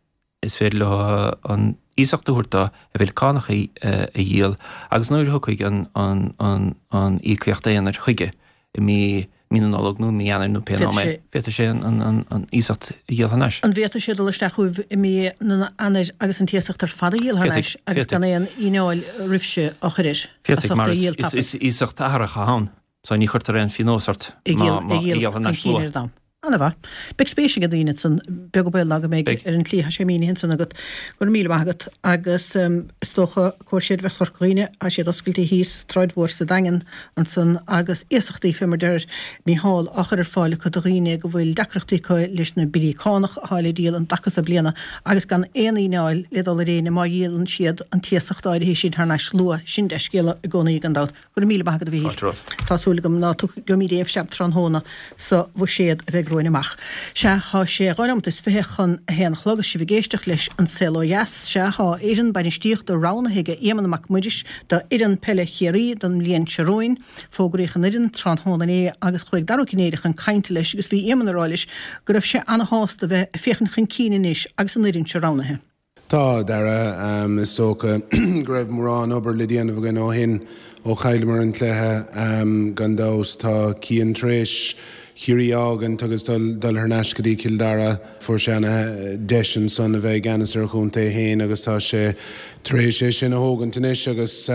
is féidir leo an iasacht a thabhairt dó a bhille cánach a dhíol agus nuair a thiocfaidh an íocaíocht aonair chuige i mí mí na Nollag nó mí Eanáir nó pé am é, féadfaidh sé an iasacht a dhíol thar n-ais. An bhféadfadh sé dul isteach chugaibh i mí Eanáir agus an t-iasacht ar fad a dhíol thar n-ais agus gan aon fhíneáil roimhse á chur air? Féadfaidh, mar is iasacht athraitheach atá ann. So ní chuirtear aon phionós ort má má dhíol thar n-ais luath. Ana-mhaith. Beidh spéis ag daoine ansan, beag an baol ná go mbeidh ar an tslí atá sé mínithe ansan agat. Go raibh míle maith agat. Agus is dócha Comhar Creidmheasa Chorca Dhuibhne, tá siad oscailte thíos Sráid Mhór sa Daingean ansan agus iasachtaí fé mar deir Mícheál á chur ar fáil acu do dhaoine go bhfuil deacrachtaí acu leis na billí cánach atá le díol an dtaca so bliana agus gan aon fhíneáil le dul ar éinne má dhíolann siad an t-iasacht áirithe sin thar n-ais luath. Sin dea-scéala i gcónaí gan dabht. Go raibh míle maith agat a Mhíchíl. Fáilte romhat. Tá súil agam ná gheobhaimid aon phreab tráthnóna sa bhuiséad a bheidh romhainn amach. Sea, tá sé dhá nóimeat is fiche chun a haon a chlog agus sibh ag éisteacht leis An Saol Ó Dheas. Sea, tá fhoireann bainistíochta roghnaithe ag Éamonn Mac Muiris do fhoireann peile Chiarraí don mbliain seo romhainn. Fógraíodh an fhoireann tráthnóna inné agus chuaigh Dara Ó Cinnéide chun cainte leis agus bhí Éamonn ag rá leis go raibh sé ana-shásta bheith ag féachaint chun cinn anois agus an fhoireann seo roghnaithe. Tá, a Dhara. Is dócha go raibh mórán obair le déanamh againn ó shin, ó chailleamar an cluiche. Gan dabht, tá Cian tar éis Chiarraí a fhágaint agus dul thar n-ais go dtí Cill Dara. Fuair sé ana deis ansan a bheith i gceannas ar a chontae féin agus tá sé tar éis é sin a thógaint anois agus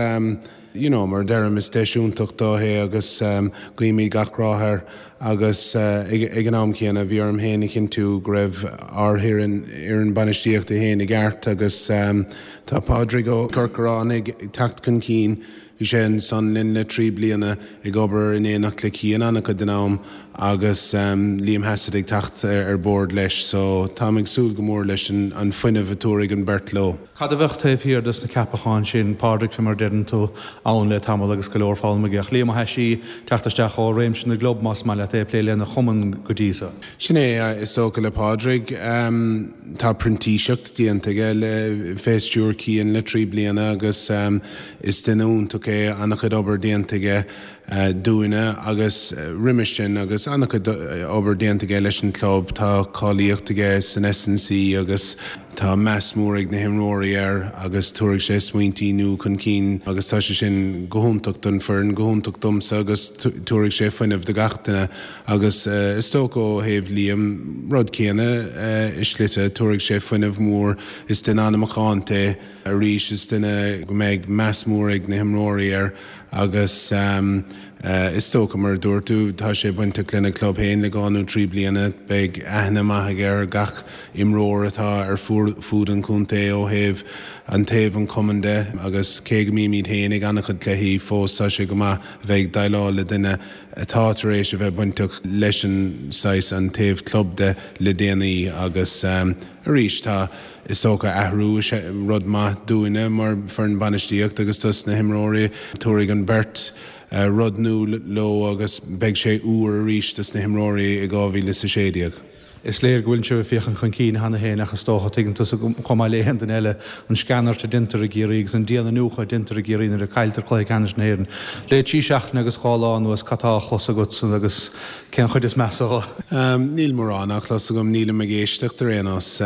you know, mar a deirim, is deis iontach dó é agus guímid gach rath air agus ag an am céanna bhí orm féin a chinntiú go raibh ár bhfoireann, fhoireann bainistíochta féin i gceart agus tá Pádraig Ó Corcoráin ag teacht chun cinn. Bhí sé ansan linn le trí bliana ag obair in éineacht le Cian an-chuid den am agus Liam Hassett ag teacht ar bord leis so táim ag súil go mór leis an fuinneamh a tabharfaidh an beirt leo. Cad a bheadh taobh thiar dos na ceapacháin sin, Pádraig, fé mar a deireann tú, ann le tamall agus go leor foghlama aige, ach Liam Ó hAisí teacht isteach ó réimse na gclub, más maith leat é, ag plé lena chumann go dtí so. Sin é, is dócha le Pádraig. Tá printíseacht déanta aige le, fé stiúir Cian le trí bliana agus is duine iontach é, an-chuid obair déanta aige dúinne agus roimis sin agus an-chuid obair déanta aige leis an club. Tá cáilíocht aige san S and C agus tá meas mór ag na himreoirí air agus tabharfaidh sé smaointí nua chun cinn agus tá sé sin go hiontach don foireann, go hiontach domsa agus tabharfaidh sé fuinneamh do gach duine agus is dócha ó thaobh Liam, rud céanna i slite, tabharfaidh sé fuinneamh mór, is duine an-mhacánta é arís, is duine go mbeidh meas mór ag na himreoirí air agus is dócha, mar a dúirt tú, tá sé bainteach lena chlub féin le dhá nó trí bliana, beidh aithne maith aige ar gach imreoir atá ar fud an chontae ó thaobh an taobh an chumainn de agus cé go mbímid féin ag an-chuid cluichí fós tá sé go maith a bheith ag déileáil le duine atá tar éis a bheith bainteach leis an saghas an taobh club de le déanaí agus arís tá Is dócha athrú is ea rud maith dúinne mar foireann bainistíochta agus dos na himreoirí. Tabharfaidh an bheirt rud nua leo agus beidh sé úr arís dos na himreoirí i dhá mhíle is a sé déag. Is léir go bhfuil sibh ag féachaint chun cinn cheana féin ach is dócha, tuigeann tusa chomh maith le haon duine eile, an sceanairt a deintear i gCiarraí agus an dian-iniúchadh a deintear i gCiarraí nuair a cailltear cluiche ceannais na hÉireann. Le trí seachtaine agus dhá lá anuas, cad tá á chlos agatsa agus cén chuid is measa dho? Níl mórán á chlos agam, nílim ag éisteacht ar aon nós.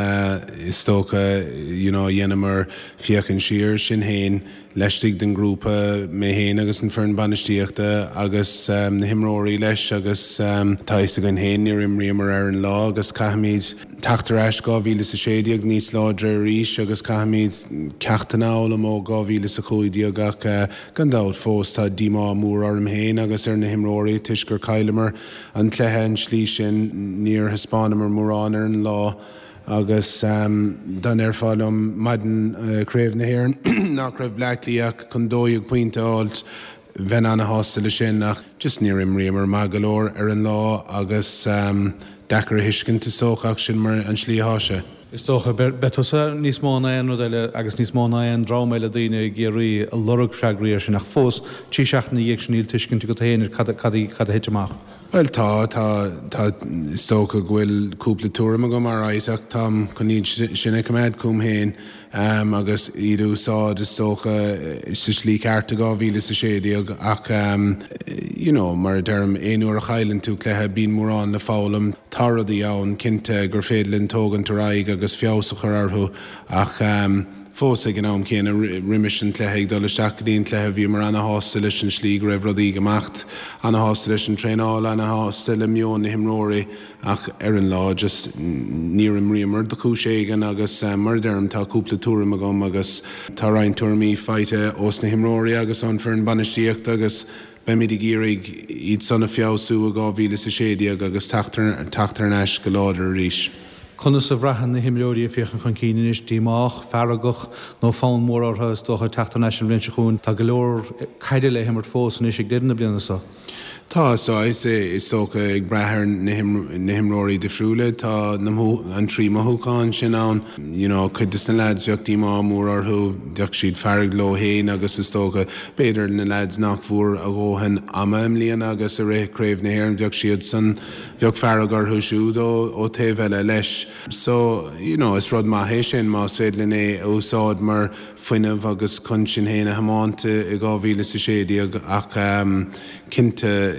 Is dócha, you know, dheineamar féachaint siar, sinn féin, laistigh den ghrúpa, mé féin agus an foireann bainistíochta agus na himreoirí leis agus tá fhios againn féin níor imríomar ar an lá agus caithfimid teacht ar ais dhá mhíle is a sé déag níos láidre arís agus caithfimid ceachtanna a fhoghlaim ó dhá mhíle is a cúig déag ach gan dabht fós tá díomá mór orm féin agus ar na himreoirí toisc gur chailleamar an cluiche an tslí sin. Níor thaispeánamar mórán ar an lá agus dá ndéarfá liom maidin Craobh na hÉireann nach raibh Bleá Cliath ach chun dó dhéag pointe a fháilt, bheinn ana-shásta leis sin ach just níor imríomar maith go leor ar an lá agus deacair a thuiscint is dócha ach sin mar an slí atá sé. Is dócha, beidh tusa níos mó ná aon rud eile agus níos mó ná aon dream eile daoine i gCiarraí ag lorg freagraí air sin ach fós, trí seachtaine ina dhiaidh sin níl tuiscint agat féin ar cad cad a thit amach. Bhuel tá, tá, tá, is dócha go bhfuil cúpla tuairim agam alright ach táim chun iad sin a choimeád chugam féin agus iad a úsáid is dócha sa slí ceart i dhá mhíle is a sé déag ach you know mar a deirim aon uair a chailleann tú cluiche bíonn mórán le foghlaim. Tá rudaí ann cinnte gur féidir linn tógaint ar aghaidh agus feabhas a chur orthu ach fós ag an am céanna roimis an cluiche ag dul isteach go dtí an cluiche bhíomar ana-shásta leis an slí go raibh rudaí ag imeacht, ana-shásta leis an traenáil, ana-shásta le meon na himreoirí ach ar an lá just níor imríomar do chúis éigin agus mar a deirim tá cúpla tuairim agam agus tá roinnt tuairimí faighte ós na himreoirí agus ón foireann bainistíochta agus beimid ag iarraidh iad san a feabhsú i dhá mhíle is a sé déag agus teacht thar n-ais go láidir arís. Conas a bhraitheann na himreoirí ag féachaint chun cinn anois? Díomách, feargach nó fonn mór orthu is dócha teacht thar n-ais an bhliain seo chugainn? Tá go leor caide le himirt fós anois ag deireadh na bliana seo. Tá, saghas, is dócha, ag brath ar na himreoirí difriúla, tá an trí mothúchán sin ann. You know, cuid de na lads bheadh díomá mór orthu, bheadh siad fearg leo féin agus is dócha, b'fhéidir na lads nach bhfuair a dhóthain ama i mbliana agus i rith Craobh na hÉireann bheadh siad san, bheadh fearg orthu siúd ó ó taobh eile leis. So, you know, is rud maith é sin más féidir linn é a úsáid mar fuinneamh agus chun sinn féin a thiomáint i dhá mhíle is a sé déag ach cinnte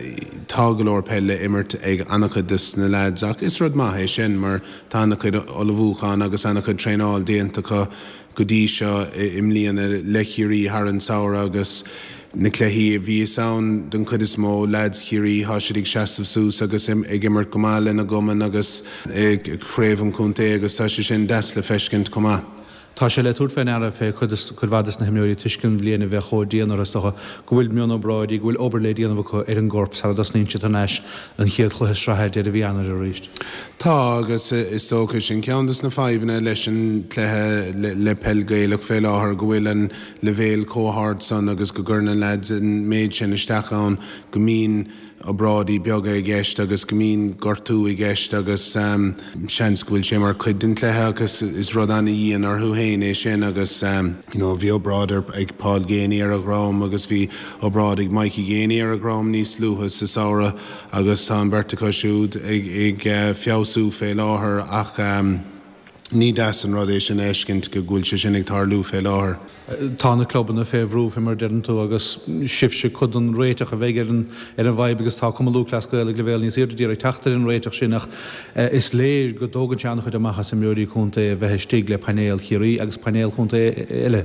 tá go leor peil le imirt ag an-chuid des na lads ach is rud maith é sin mar tá an-chuid ullmhúchán agus an-chuid traenáil déanta acu go dtí seo i mbliana le Ciarraí thar an samhradh agus na cluichí a bhíos ann den chuid is mó, lads Chiarraí, tá siad ag seasamh suas agus ag imirt go maith lena gcumann agus i gcraobh an chontae agus tá sé sin deas le feiscint chomh maith. Tá sé le tabhairt fé ndeara fé cuid cuid mhaith des na himreoirí toisc an bhliain a bheith chomh dian orthu is dócha go bhfuil mionobráidí, go bhfuil obair le déanamh acu ar an gcorp sara dtosnaíonn siad thar n-ais an chéad chluiche sraithe ag deireadh mhí Eanáir arís. Tá agus is dócha sin ceann des na fadhbanna leis an cluiche le peil Gaelach fé láthair go bhfuil an leibhéal chomh hard san agus go gcuireann an lads an méid sin isteach ann go mbíonn obráidí beaga i gceist agus go mbíonn gortú i gceist agus seans go bhfuil sé mar chuid den chluiche agus is rud ana-dhian orthu féin é sin agus you know bhí obráid ag Paul Geaney ar a dhrom agus bhí obráid ag Mikey Geaney ar a dhrom níos luaithe sa samhradh agus tá an bheirt acu siúd ag ag feabhsú fé láthair ach ní deas an rud é sin a fheiscint go bhfuil sé sin ag tarlú fé láthair. Tá na clubanna fé bhrú, fé mar a deireann tú, agus sibhse cuid den réiteach a bheidh ar an ar an bhfadhb agus tá Cumann Lúthchleas Gael ag leibhéal níos airde d'iarraidh teacht ar an réiteach sin ach is léir go dtógann sé an-chuid amach as imreoirí contae a bheith istigh le painéal Chiarraí agus painéal chontae eile.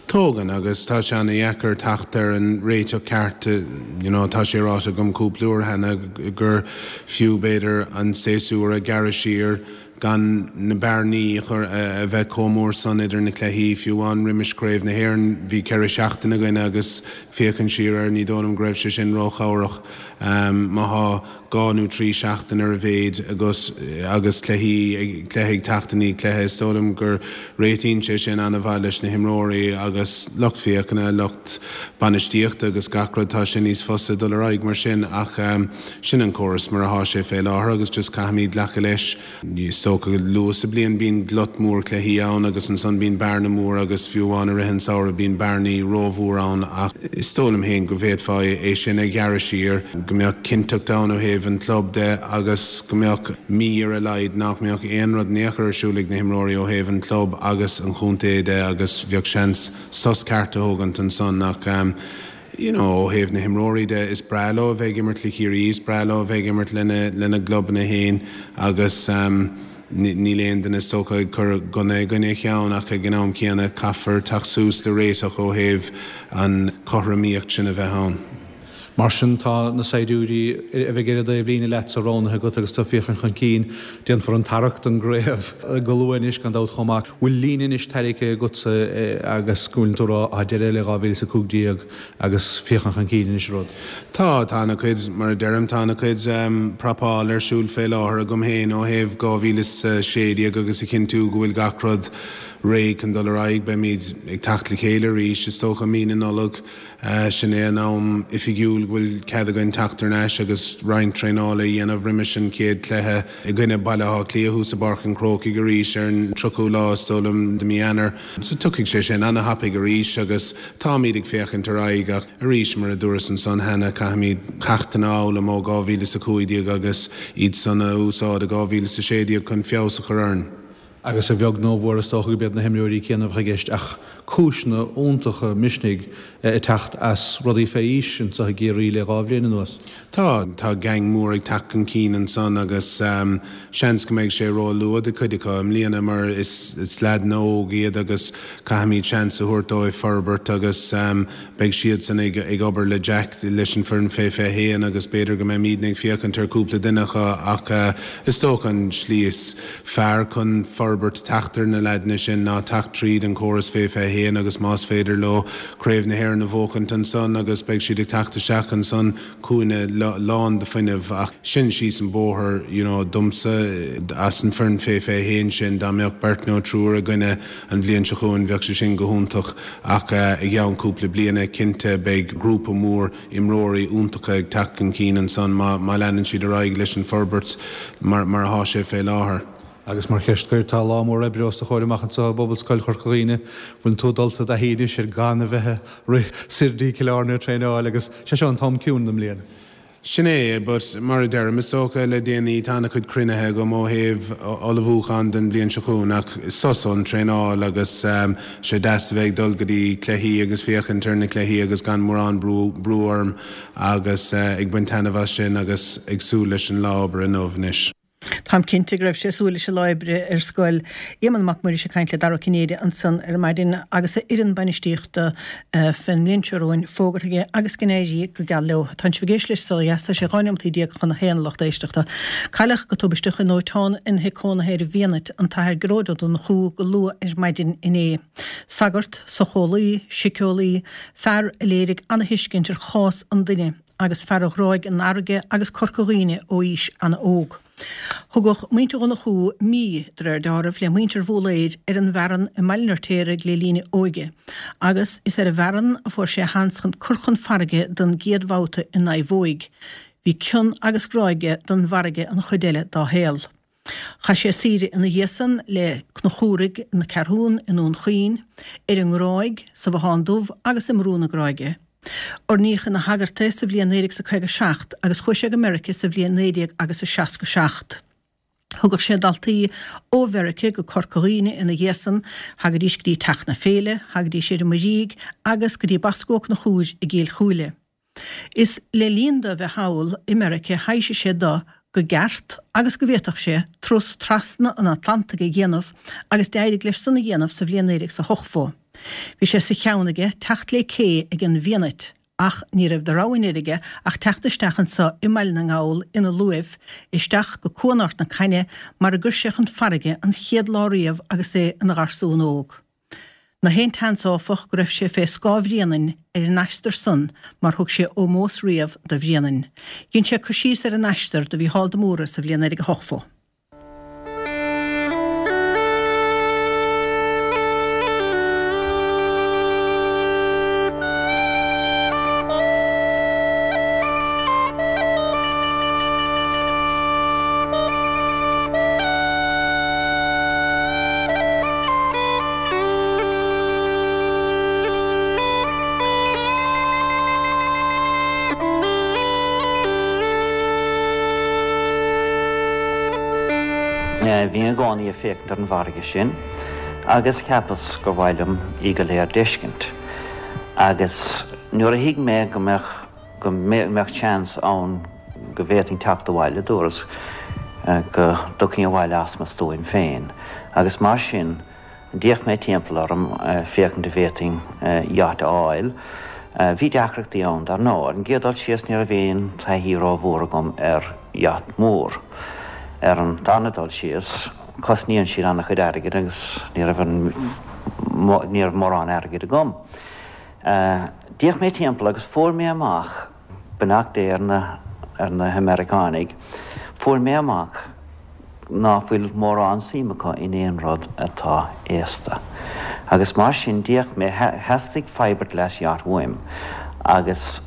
Tógann, agus tá sé ana-dheacair teacht ar an réiteach ceart, you know tá sé ráite agam cúpla uair cheana gur fiú b'fhéidir an séasúr a ghearradh siar, gan na bearnaí a chur a bheith chomh mór san idir na cluichí. Fiú amháin roimis Craobh na hÉireann bhí ceithre seachtaine againn agus féachaint siar air ní dóigh liom go raibh sé sin róchabhrach. Má thá dhá nó trí seachtain ar a mhéid agus agus cluichí cluiche ag teacht i ndiaidh cluiche is dóigh liom gur réitíonn sé sin an-mhaith leis na himreoirí agus lucht féachana, lucht bainistíochta agus gach rud. Tá sé níos fusa dul ar aghaidh mar sin ach sin an córas mar athá sé fé láthair agus just caithfimid glacadh leis. Is dócha go luath sa bliain bíonn glut mór cluichí ann agus ansan bíonn bearna mór agus fiú amháin i rith an samhradh bíonn bearnaí rómhór ann ach is dóigh liom féin go bhféadfá é sin a ghearradh siar, go mbeadh cinnteacht ann ó thaobh an club de agus go mbeadh mí ar a laghad nach mbeadh aon rud in aon chor ar siúl ag na himreoirí ó thaobh an club agus an chontae de agus bheadh seans sos ceart a thógaint ansan ach you know, ó thaobh na himreoirí de, is breá leo a bheith ag imirt le Ciarraí, is breá leo a bheith ag imirt lena, lena gclubanna féin agus níl aon duine is dócha ag cur gunna i gcoinne a cheann ach ag an am céanna caithfear teacht suas le réiteach ó thaobh an chothromaíocht sin a bheith ann. Mar sin, tá na saighdiúirí a bheidh ar an dtaobhlíne leatsa roghnaithe agat agus tú ag féachaint chun cinn. Déanfar an tarrac don gcraobh go luath anois, gan dabht, chomh maith. Bhfuil líne anois tarraingthe agatsa agus go bhfuileann tú ag rá, tá deireadh le dhá mhíle is a cúig déag agus féachaint chun cinn anois an rud? Tá, tá ana-chuid, mar a deirim, tá ana-chuid prapáil ar siúl fé láthair agam féin ó thaobh dhá mhíle is a sé déag agus a chinntiú go bhfuil gach rud réidh chun dul ar aghaidh. Beimid ag teacht le chéile arís, is dócha, mí na Nollag. Sin é an am oifigiúil go bhfuil cead againn teacht thar n-ais agus roinnt traenála a dhéanamh roimis an chéad chluiche i gcoinne Baile Átha Cliath thuas i bPáirc an Chrócaigh arís ar an tríochú lá, is dóigh liom, de mí Eanáir. So tiocfaidh sé sin ana-thapaidh arís agus táimid ag féachaint ar aghaidh ach arís, mar a dúras ansan cheana, caithfimid ceachtanna a fhoghlaim ó dhá mhíle is a cúig déag agus iad san a úsáid i dhá mhíle is a sé déag chun feabhas a chur orainn. Agus a bheag nó a mhór is dócha gurb iad na himreoirí céanna a bheadh i gceist ach cúiseanna iontacha misnigh ag teacht as rudaí fé aois anseo i gCiarraí le dhá bhliain anuas. Tá, tá gang mór ag teacht chun cinn ansan agus seans go mbeidh sé ró-luath do chuid acu i mbliana mar is leaideanna óg iad agus caithfimid seans a thabhairt dóibh forbairt agus beidh siadsan ag ag obair le Jack leis an foireann fé fiche haon agus b'fhéidir go mbeimidne ag féachaint ar cúpla duine acu ach is dócha an slí is fearr chun forbairt teacht ar na leaideanna sin ná teacht tríd an córas fé fiche haon agus más féidir leo Craobh na hÉireann a bhuachaint ansan agus beidh siad ag teacht isteach ansan chugainne lán de fuinneamh ach sin síos an bóthar you know domsa as an foireann fé fiche haon sin dá mbeadh beirt nó triúr againne an bhliain seo chugainn bheadh sé sin go hiontach ach i gceann cúpla bliana cinnte beidh grúpa mór imreoirí iontacha ag teacht chun cinn ansan má má leanann siad ar aghaidh leis an forbairt mar mar atá sé fé láthair. Agus mar cheist scoir, tá lá mór oibre os do chomhair amach anseo i bPobalscoil Chorca Dhuibhne. Bhfuil tú dulta i dtaithí anois ar gan a bheith ag rith soir dtí Cill Airne ag traenáil agus sé seo an t-am ciúin den mbliain. Sin é, but mar a deirim, is dócha le déanaí tá an-chuid cruinnithe agam ó thaobh ullmhúchán don bhliain seo chugainn ach sos ón traenáil agus sé deas a bheith ag dul go dtí cluichí agus féachaint ar na cluichí agus gan mórán brú brú orm agus ag baint taitneamh as sin agus ag súil leis an lá oibre inniu anois. Táim cinnte go raibh sé ag súil leis an lá oibre ar scoil. Éamonn Mac Muiris ag caint le Dara Ó Cinnéide ansan ar maidin agus a fhoireann bainistíochta fén mbliain seo romhainn fógartha aige agus go n-éirí go geal leo. Tánn sibh ag éisteacht leis Saol Ó Dheas, tá sé dhá neomataí déag chun a haon a lucht éisteachta. Cailleadh go tubaisteach i ndóiteán ina thigh cónaithe ar an bhFianait an tAthair Gearóid Ó Donnchú go luath ar maidin inné. Sagart, socheolaí, síceolaí, fear a léirigh ana-thuiscint ar chás an duine agus fear a ghráigh an fharraige agus Corca Dhuibhne ó aois ana-óg. Thugadh muintir Dhonnchú mí, de réir dealraimh, le muintir Bhólaeir ar an bhFearann i mBaile an Fheirtéaraigh le linn a óige, agus is ar an bhFearann a fuair sé a sheans chun cur chun farraige don gcéad bhabhta i naomhóig. Bhí cion agus grá aige don bhfarraige an chuid eile dá shaol. Chaith sé saoire ina dhiaidh san le Conchúraigh na Ceathrún i nDún Chaoin, ar an nGráig, sa Bhothán Dubh agus i mBrú na Gráige. Oirníodh ina shagart é sa bhliain naoi déag 's a caoga seacht agus chuaigh sé go Meirice sa bhliain naoi déag agus a seasca seacht. Thugadh sé daltaí ó Mheirice go Corca Dhuibhne ina dhiaidh san, thagaidís go dtí Teach na Féile, thagaidís ar an Muirígh agus go dtí Boscó Ó Conchúir i gCill Chúile. Is le linn do bheith thall i Meirice thaibhsigh sé do go gceart agus go bhféadfadh sé turas trasna an Atlantaigh a dhéanamh agus d'éirigh leis san a dhéanamh sa bhliain naoi déag 's a hochtó. Bhí sé sa cheann aige teacht lé cé ag an bhFianait ach ní raibh de rogha anoir aige ach teacht isteach anso i mBaile na nGall ina luaimh, isteach go Cuan Ard na Caithne mar a gcuir sé chun farraige an chéad lá riamh agus é ina gharsún óg. Ná haon tseans, áfach, go raibh sé fé scáth Bhréanainn ar an aistear san mar thug sé ómós riamh do Bhréanainn. Dhein sé cur síos ar an aistear do Mhícheál de Mórdha sa bhliain naoi déag a hochtó. Bhínn i gcónaí ag féachaint ar an bhfarraige sin agus cheapas gur mhaith liom í go léir d'fheiscint. Agus nuair a thuig mé go mbeadh go mbeadh seans ann go bhféadfainn teacht abhaile, dúras go dtiocfainn abhaile as mo stuaim féin. Agus mar sin, d'fhéach mé timpeall orm féachaint an bhféadfainn yacht a fháil. Bhí deacrachtaí ann, dar ndóigh. Ar an gcéad dul síos, ní raibh aon taithí rómhór agam ar yacht mór. Ar an darna dul síos, cosnaíonn siad an-chuid airgid agus ní raibh ní raibh mórán airgid agam. D'fhéach mé timpeall agus fuair mé amach, beannacht Dé ar na ar na hAmeiriceánaigh, fuair mé amach ná fuil mórán suim acu in aon rud atá aosta. Agus mar sin d'fhéach mé, theastaigh fiberglass yacht uaim agus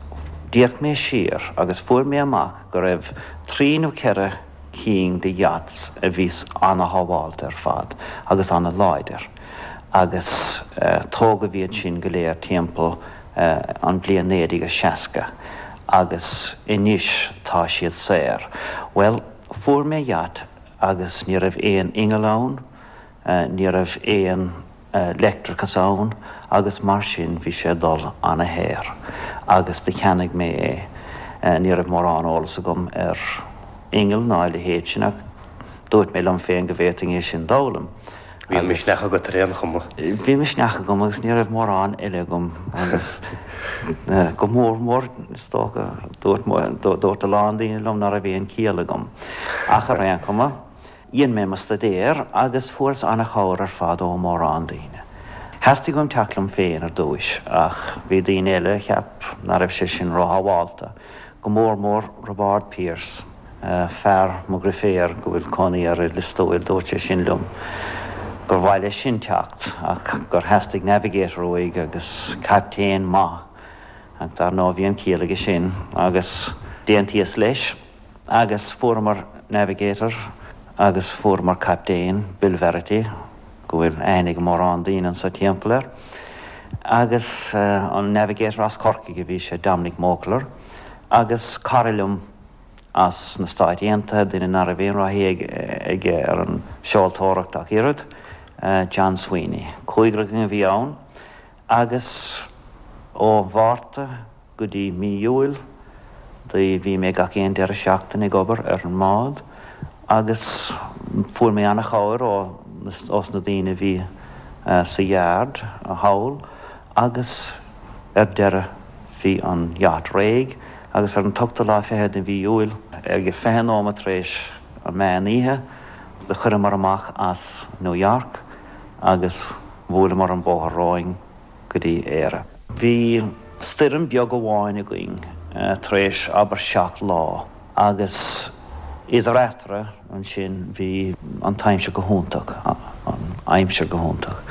d'fhéach mé siar agus fuair mé amach go raibh trí nó ceithre cinn de yachts a bhí ana-shábháilte ar fad agus ana-láidir agus tógadh iad sin go léir timpeall an bhliain naoi déag seasca agus anois tá siad saor. Bhuel, fuair mé yacht agus ní raibh aon inneall ann, ní raibh aon leictreachas ann agus mar sin bhí sé ag dul ana-shaor agus do cheannaigh mé é. Ní raibh mórán eolas agam ar inneall ná a leithéid sin ach dúirt mé liom féin go bhféadfainn é sin d'fhoghlaim. Bhí an misneach agat ar aon chuma. Bhí misneach agam agus ní raibh mórán eile agam agus go mór mór is dócha dúirt dúirt a lán daoine liom ná raibh aon ciall agam. Ach ar aon chuma, dhein mé mo staidéar agus fuaireas an-chabhair ar fad ó mórán daoine. Theastaigh uaim teacht liom féin ar dtúis ach bhí daoine eile a cheap ná raibh sé sin róshábhálta, go mór mór Roibeárd Pierce, fear mo dheirféar go bhfuil cónaí air i Lios Tuathail, dúirt sé sin liom gur mhaith leis sin teacht ach gur theastaigh navigator uaidh agus captaen maith ach dar ndóigh bhí an ciall aige sin agus d'aontaíos leis agus fuaireamar navigator agus fuaireamar captaen, Bill Verity, go bhfuil aithne ag mórán daoine anso timpeall air agus an navigator as Corcaigh a bhí sé, Dominic Mokler, agus cara liom as na Stáit Aontaithe, duine ná raibh aon thaithí aige ar an seoltóireacht ach oiread, John Sweeney. Cúigear againn a bhí ann agus ó Mhárta go dtí mí Iúil do bhí mé gach aon deireadh seachtaine ag obair ar an mbád agus fuair mé an-chabhair ó ós na daoine a bhí sa yard thall agus ar deireadh bhí an yacht réidh agus ar an t-ochtú lá fichead de mhí Iúil ag fiche nóiméad tar éis an meán oíche do chuireamar amach as New York agus bhuaileamar an bóthar romhainn go dtí Éire. Bhí stoirm beag amháin againn tar éis abair seacht lá agus idir eatarthu ansin bhí an t-aimsir go hiontach, an aimsir go hiontach.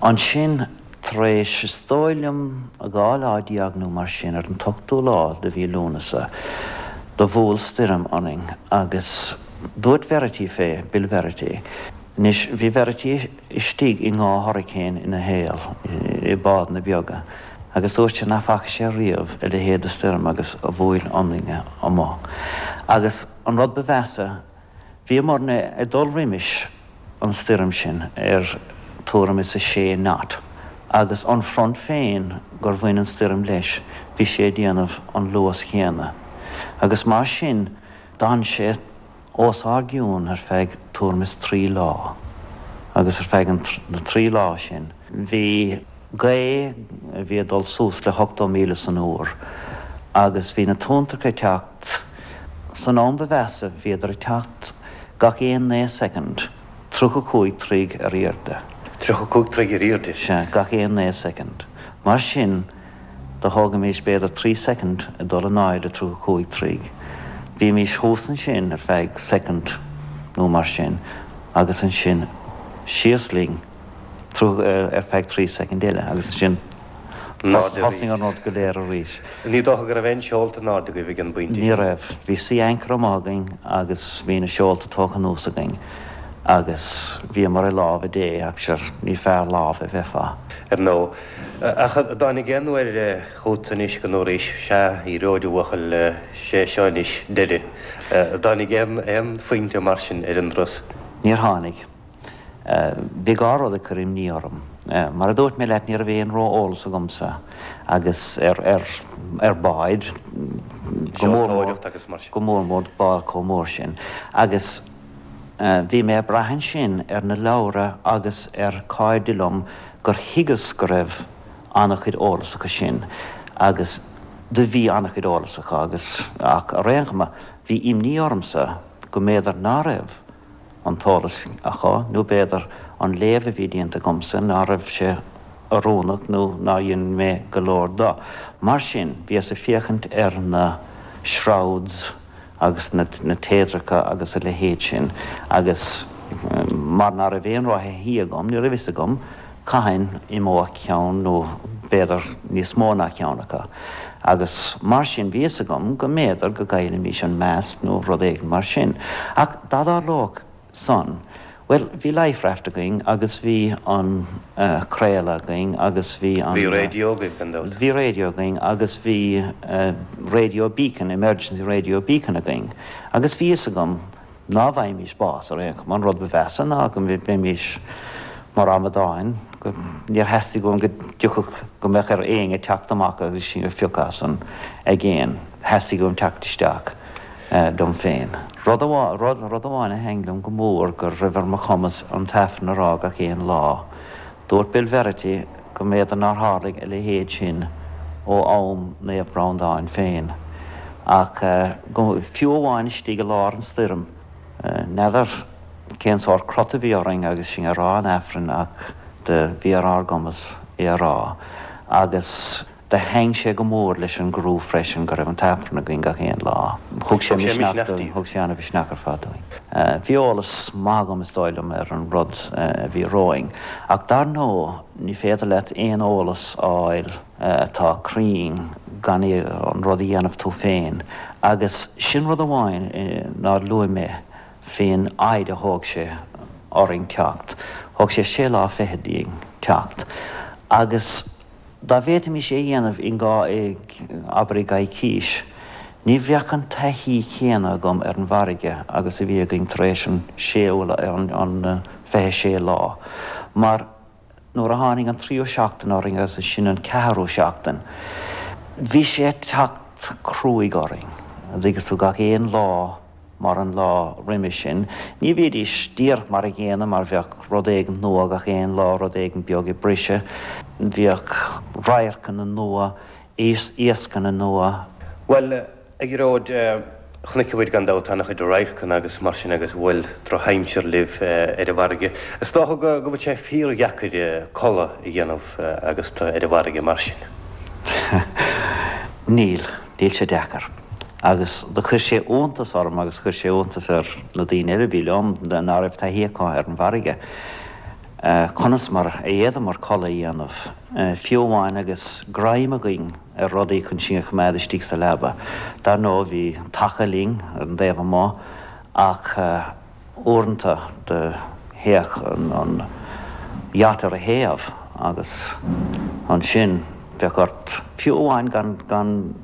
Ansin tar éis is dóigh liom dhá lá déag nó mar sin ar an t-ochtú lá de mhí Lúnasa do bhuail stoirm orainn agus dúirt Verity fé, Bill Verity, anois bhí Verity istigh i ndhá hurricane ina shaol, i bádanna beaga, agus dúirt sé nach bhfaca sé riamh a leithéid de stoirm agus a bhuail orainne amuigh. Agus an rud ba mheasa, bhíomarna ag dul roimis an stoirm sin ar tuairim is a sé knot, agus an front féin gur bhain an stoirm leis, bhí sé ag déanamh an luas chéanna. Agus mar sin, d'fhan sé os ár gcionn ar feadh tuairim is trí lá. Agus ar feadh na trí lá sin, bhí gaoth a bhí ag dul suas le hochtó míle san uair agus bhí na tonntracha ag teacht, san am ba mheasa bhíodar ag teacht gach aon naoi soicind, tríocha cúig troigh ar airde. Tríocha cúig troigh ar airde? Sea, gach aon naoi soicind. Mar sin, do thógaimis b'fhéidir trí soicind ag dul in airde tríocha cúig troigh. Bhímís thuas ansin ar feadh soicind nó mar sin agus ansin síos linn ar feadh trí soicind eile agus ansin thosaigh an rud go léir arís. Ní dócha go raibh aon seolta in airde agaibh ag an bpointe sin? Ní raibh. Bhí sea anchor amuigh againn agus bhí na seolta tógtha anuas againn agus bhíomar i lámha Dé ach sure ní fearr lámh a bheifeá. Ar ndóigh. Ach an dtáinig aon uair chugat anois go ndúraís, sea, éireoidh a bhuachaill, sé seo anois deireadh. An dtáinig aon aon phointe mar sin ar an dturas? Níor tháinig. Bhí dhá rud ag cur imní orm. Mar a dúirt mé leat ní raibh aon ró-eolas agamsa agus ar ar ar báid, go mór mór, go mór mór bád chomh mór sin. Agus Bhí mé ag brath ansin ar na leabhra agus ar cairde liom gur thuigeas go raibh an-chuid eolas acu sin agus do bhí an-chuid eolas acu agus ach ar aon chuma bhí imní ormsa go mb'fhéidir ná raibh an t-eolas acu nó b'fhéidir an léamh a bhí déanta agamsa ná raibh sé oiriúnach nó nár dhein mé go leor de. Mar sin bhíos ag féachaint ar na shrouds agus na téadracha agus a leithéid sin agus mar ná raibh aon ró-thaithí agam, ní raibh fhios agam Cathain imeodh ceann nó b'fhéidir níos mó ná ceann acu. Agus mar sin bhí fhios agam go mb'fhéidir go gcaillfimis an mast nó rud éigin mar sin. Ach dá dtarlódh san, bhuel, bhí life raft againn agus bhí an craoladh againn agus bhí an. Bhí raidió agaibh gan dabht. Bhí raidió againn agus bhí radio beacon, emergency radio beacon againn. Agus bhí fhios agam ná bhfaighimís bás ar aon chuma. An rud ba mheasa ná go mbeimis mar amadáin, go, níor theastaigh uaim go dtiocfadh, go mbeadh ar éinne teacht amach agus sinn a phiocadh as an aigéan. Theastaigh uaim teacht isteach dom féin. Rud amháin, rud, rud amháin a thaitin liom go mór go raibh ar mo chumas an tAifreann a rá gach aon lá. Dúirt Bill Verity go mb'fhéidir nár tharlaigh a leithéid sin ó am Naomh Breandán féin. Ach go, fiú amháin istigh i lár an stoirm, N'fheadar cén sórt crot a bhí orainn agus sinn ag rá an Aifrinn ach do bhí ar ár gcumas é a rá. Agus do thaitin sé go mór leis an gcriú freisin go raibh an tAifreann againn gach aon lá. Thug sé misneach dúinn, thug sé an-mhisneach ar fad dúinn. Bhí eolas maith agam is dóigh liom ar an rud a bhí romhainn. Ach dar ndóigh ní féidir leat aon eolas a fháil atá cruinn gan an rud a dhéanamh tú féin. Agus sin rud amháin nár luaigh mé faoin fhaid a thóg sé orainn teacht. Thóg sé sé lá fichead dínn teacht. Agus dá bhféadfaimis é a dhéanamh in dhá, abair i gcoicís, ní bheadh an taithí chéanna agam ar an bhfarraige agus a bhí againn tar éis an séú, an fiche sé lá. Mar nuair a tháinig an tríú seachtain orainn agus ansin an ceathrú seachtain, bhí sé ag teacht cruaidh orainn, an dtuigeann tú, gach aon lá mar an lá roimhe sin. Ní bhídís díreach mar a gcéanna mar bheadh rud éigin nua gach aon lá, rud éigin beag ag briseadh, bhíodh radharcanna nua, iascanna nua. Bhuel, a Ghearóid, chonaic muid gan dabht an-chuid radharcanna agus mar sin agus bhuail drochaimsir libh ar an bhfarraige. Is dócha go bhfuil sé fíordheacair codladh a dhéanamh agus tú ar an bhfarraige mar sin. Níl, níl sé deacair. Agus do chuir sé iontas orm agus chuir sé iontas ar na daoine eile a bhí liom ná raibh taithí acu ar an bhfarraige, conas mar a d'fhéadamar codladh a dhéanamh, fiú amháin agus greim againn ar rudaí chun sinn a choimeád istigh sa leaba. Dar ndóigh bhí taca linn ar an dtaobh amuigh ach uaireanta do théadh an yacht ar a thaobh agus ansin bheadh ort, fiú amháin gan, gan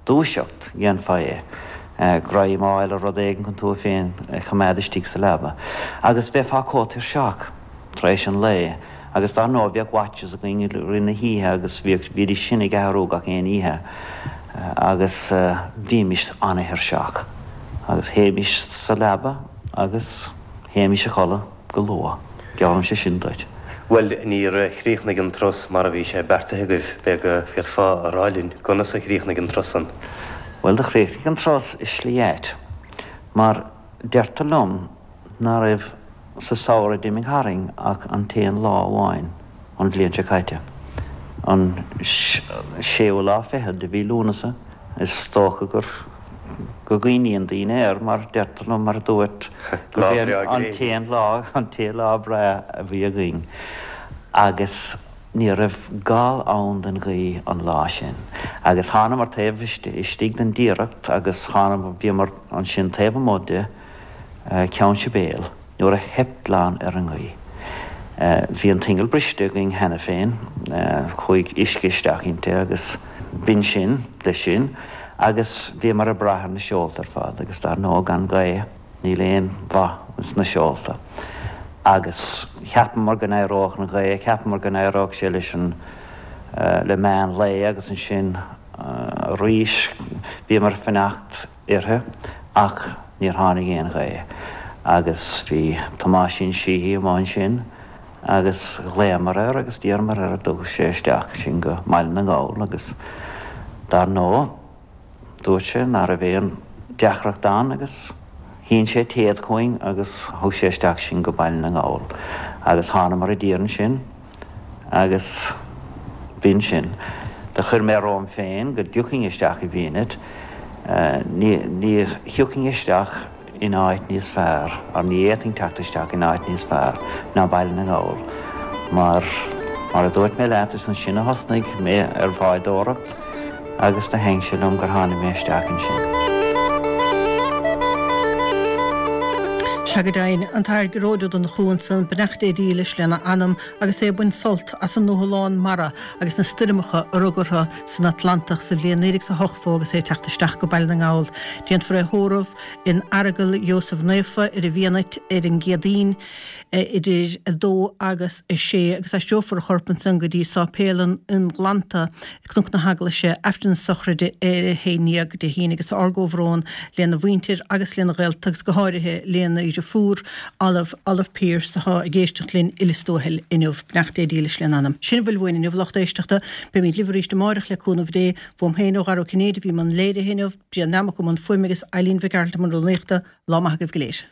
dúiseacht, dhéanfá é, greim a fháil ar rud éigin chun tú féin a choimeád istigh sa leaba. Agus bheifeá chomh tuirseach tar éis an lae. Agus dar ndóigh bheadh watches againn i rith na hoíche agus bhíodh, bhídís sin ag athrú gach aon oíche agus bhímis an-tuirseach. Agus théimis sa leaba agus théimis a chodladh go luath. Geallaimse sin duit. Bhuel, níor chríochnaigh an turas mar a bhí sé beartaithe agaibh. B'fhéidir go bhféadfá a rá linn conas a chríochnaigh an turas san? Bhuel, do chríochnaigh an turas i slí ait, mar deirtear liom ná raibh sa samhradh a d'imigh tharainn ach an t-aon lá amháin an bhliain seo caite, an séú lá fichead de mhí Lúnasa. Is dócha gur go gcuimhníonn daoine air mar deirtear liom, mar a dúirt, Lá gurb é breá an gréine. t-aon lá, an t-aon lá breá a bhí againn agus ní raibh gal ann den ghaoth an lá sin. Agus thánamar taobh istigh den Tiaracht agus thánamar, bhíomar ansin taobh amuigh de Ceann Sibéal nuair a theip glan ar an ngaoth. Bhí an t-inneall briste againn cheana féin, chuaigh uisce isteach inti agus b'in sin leis sin agus bhíomar ag brath ar na seolta ar fad agus dar ndóigh gan gaoth níl aon mhaith sna seolta. Agus cheapamar go n-éireodh an ghaoth, cheapamar go n-éireodh sé leis an, le meán lae agus ansin arís bhíomar ag fanacht uirthi ach níor tháinig aon ghaoth agus bhí Tomáisín Sheehy amuigh ansin agus ghlaomar air agus d'iarramar air an dtabharfadh sé isteach sinn go mBaile na nGall agus dar ndóigh dúirt sé ná raibh aon deacracht ann agus shín sé téad chugainn agus thug sé isteach sinn go Baile na nGall agus thánamar i dtír ansin agus b'in sin. Do chuir mé romham féin go dtiocfainn isteach i bhFienit. Ní ní thiocfainn isteach in áit níos fearr, or ní fhéadfainn teacht isteach in áit níos fearr ná Baile na nGall mar Mar a dúirt mé leat is ansin a thosnaigh mé ar bhádóireacht agus do thaitin sé liom gur tháinig mé isteach ansin. Sea go deimhin, an tAthair Gearóid Ó Donnchú ansan, beannacht Dé dílis lena anam agus é ag baint sult as an ndúshlán mara agus na stoirmeacha a rug orthu san Atlantach sa bhliain naoi déag is a hochtó agus é ag teacht isteach go Baile na nGall. Déanfar é a thórramh in Aireagal Sheosaimh Naofa ar an bhFianait ar an gCéadaoin idir a dó agus a sé agus aistreofar a chorp ansan go dtí Sáipéal an Ionghlantaigh, Cnoc na hEaglaise, Aifreann na sochraide ar a haon déag Dé hAoine agus ár gcomhbhrón lena mhuintir agus lena ghaolta agus go háirithe lena dheirfiúr Olive, Olive Pearse atá ag éisteacht linn i Lios Tuathail inniu. Beannacht Dé dílis lena anam. Sin a bhfuil uainn inniu, lucht éisteachta. Beimid libh arís amárach le cúnamh Dé. Uaim féin ó Dhara Ó Cinnéide a bhí i mbun léirithe inniu, Brian Nammock i mbun fuaime agus Eileen Mhic Gearailt i mbun rúnaíochta. Lá maith agaibh go léir.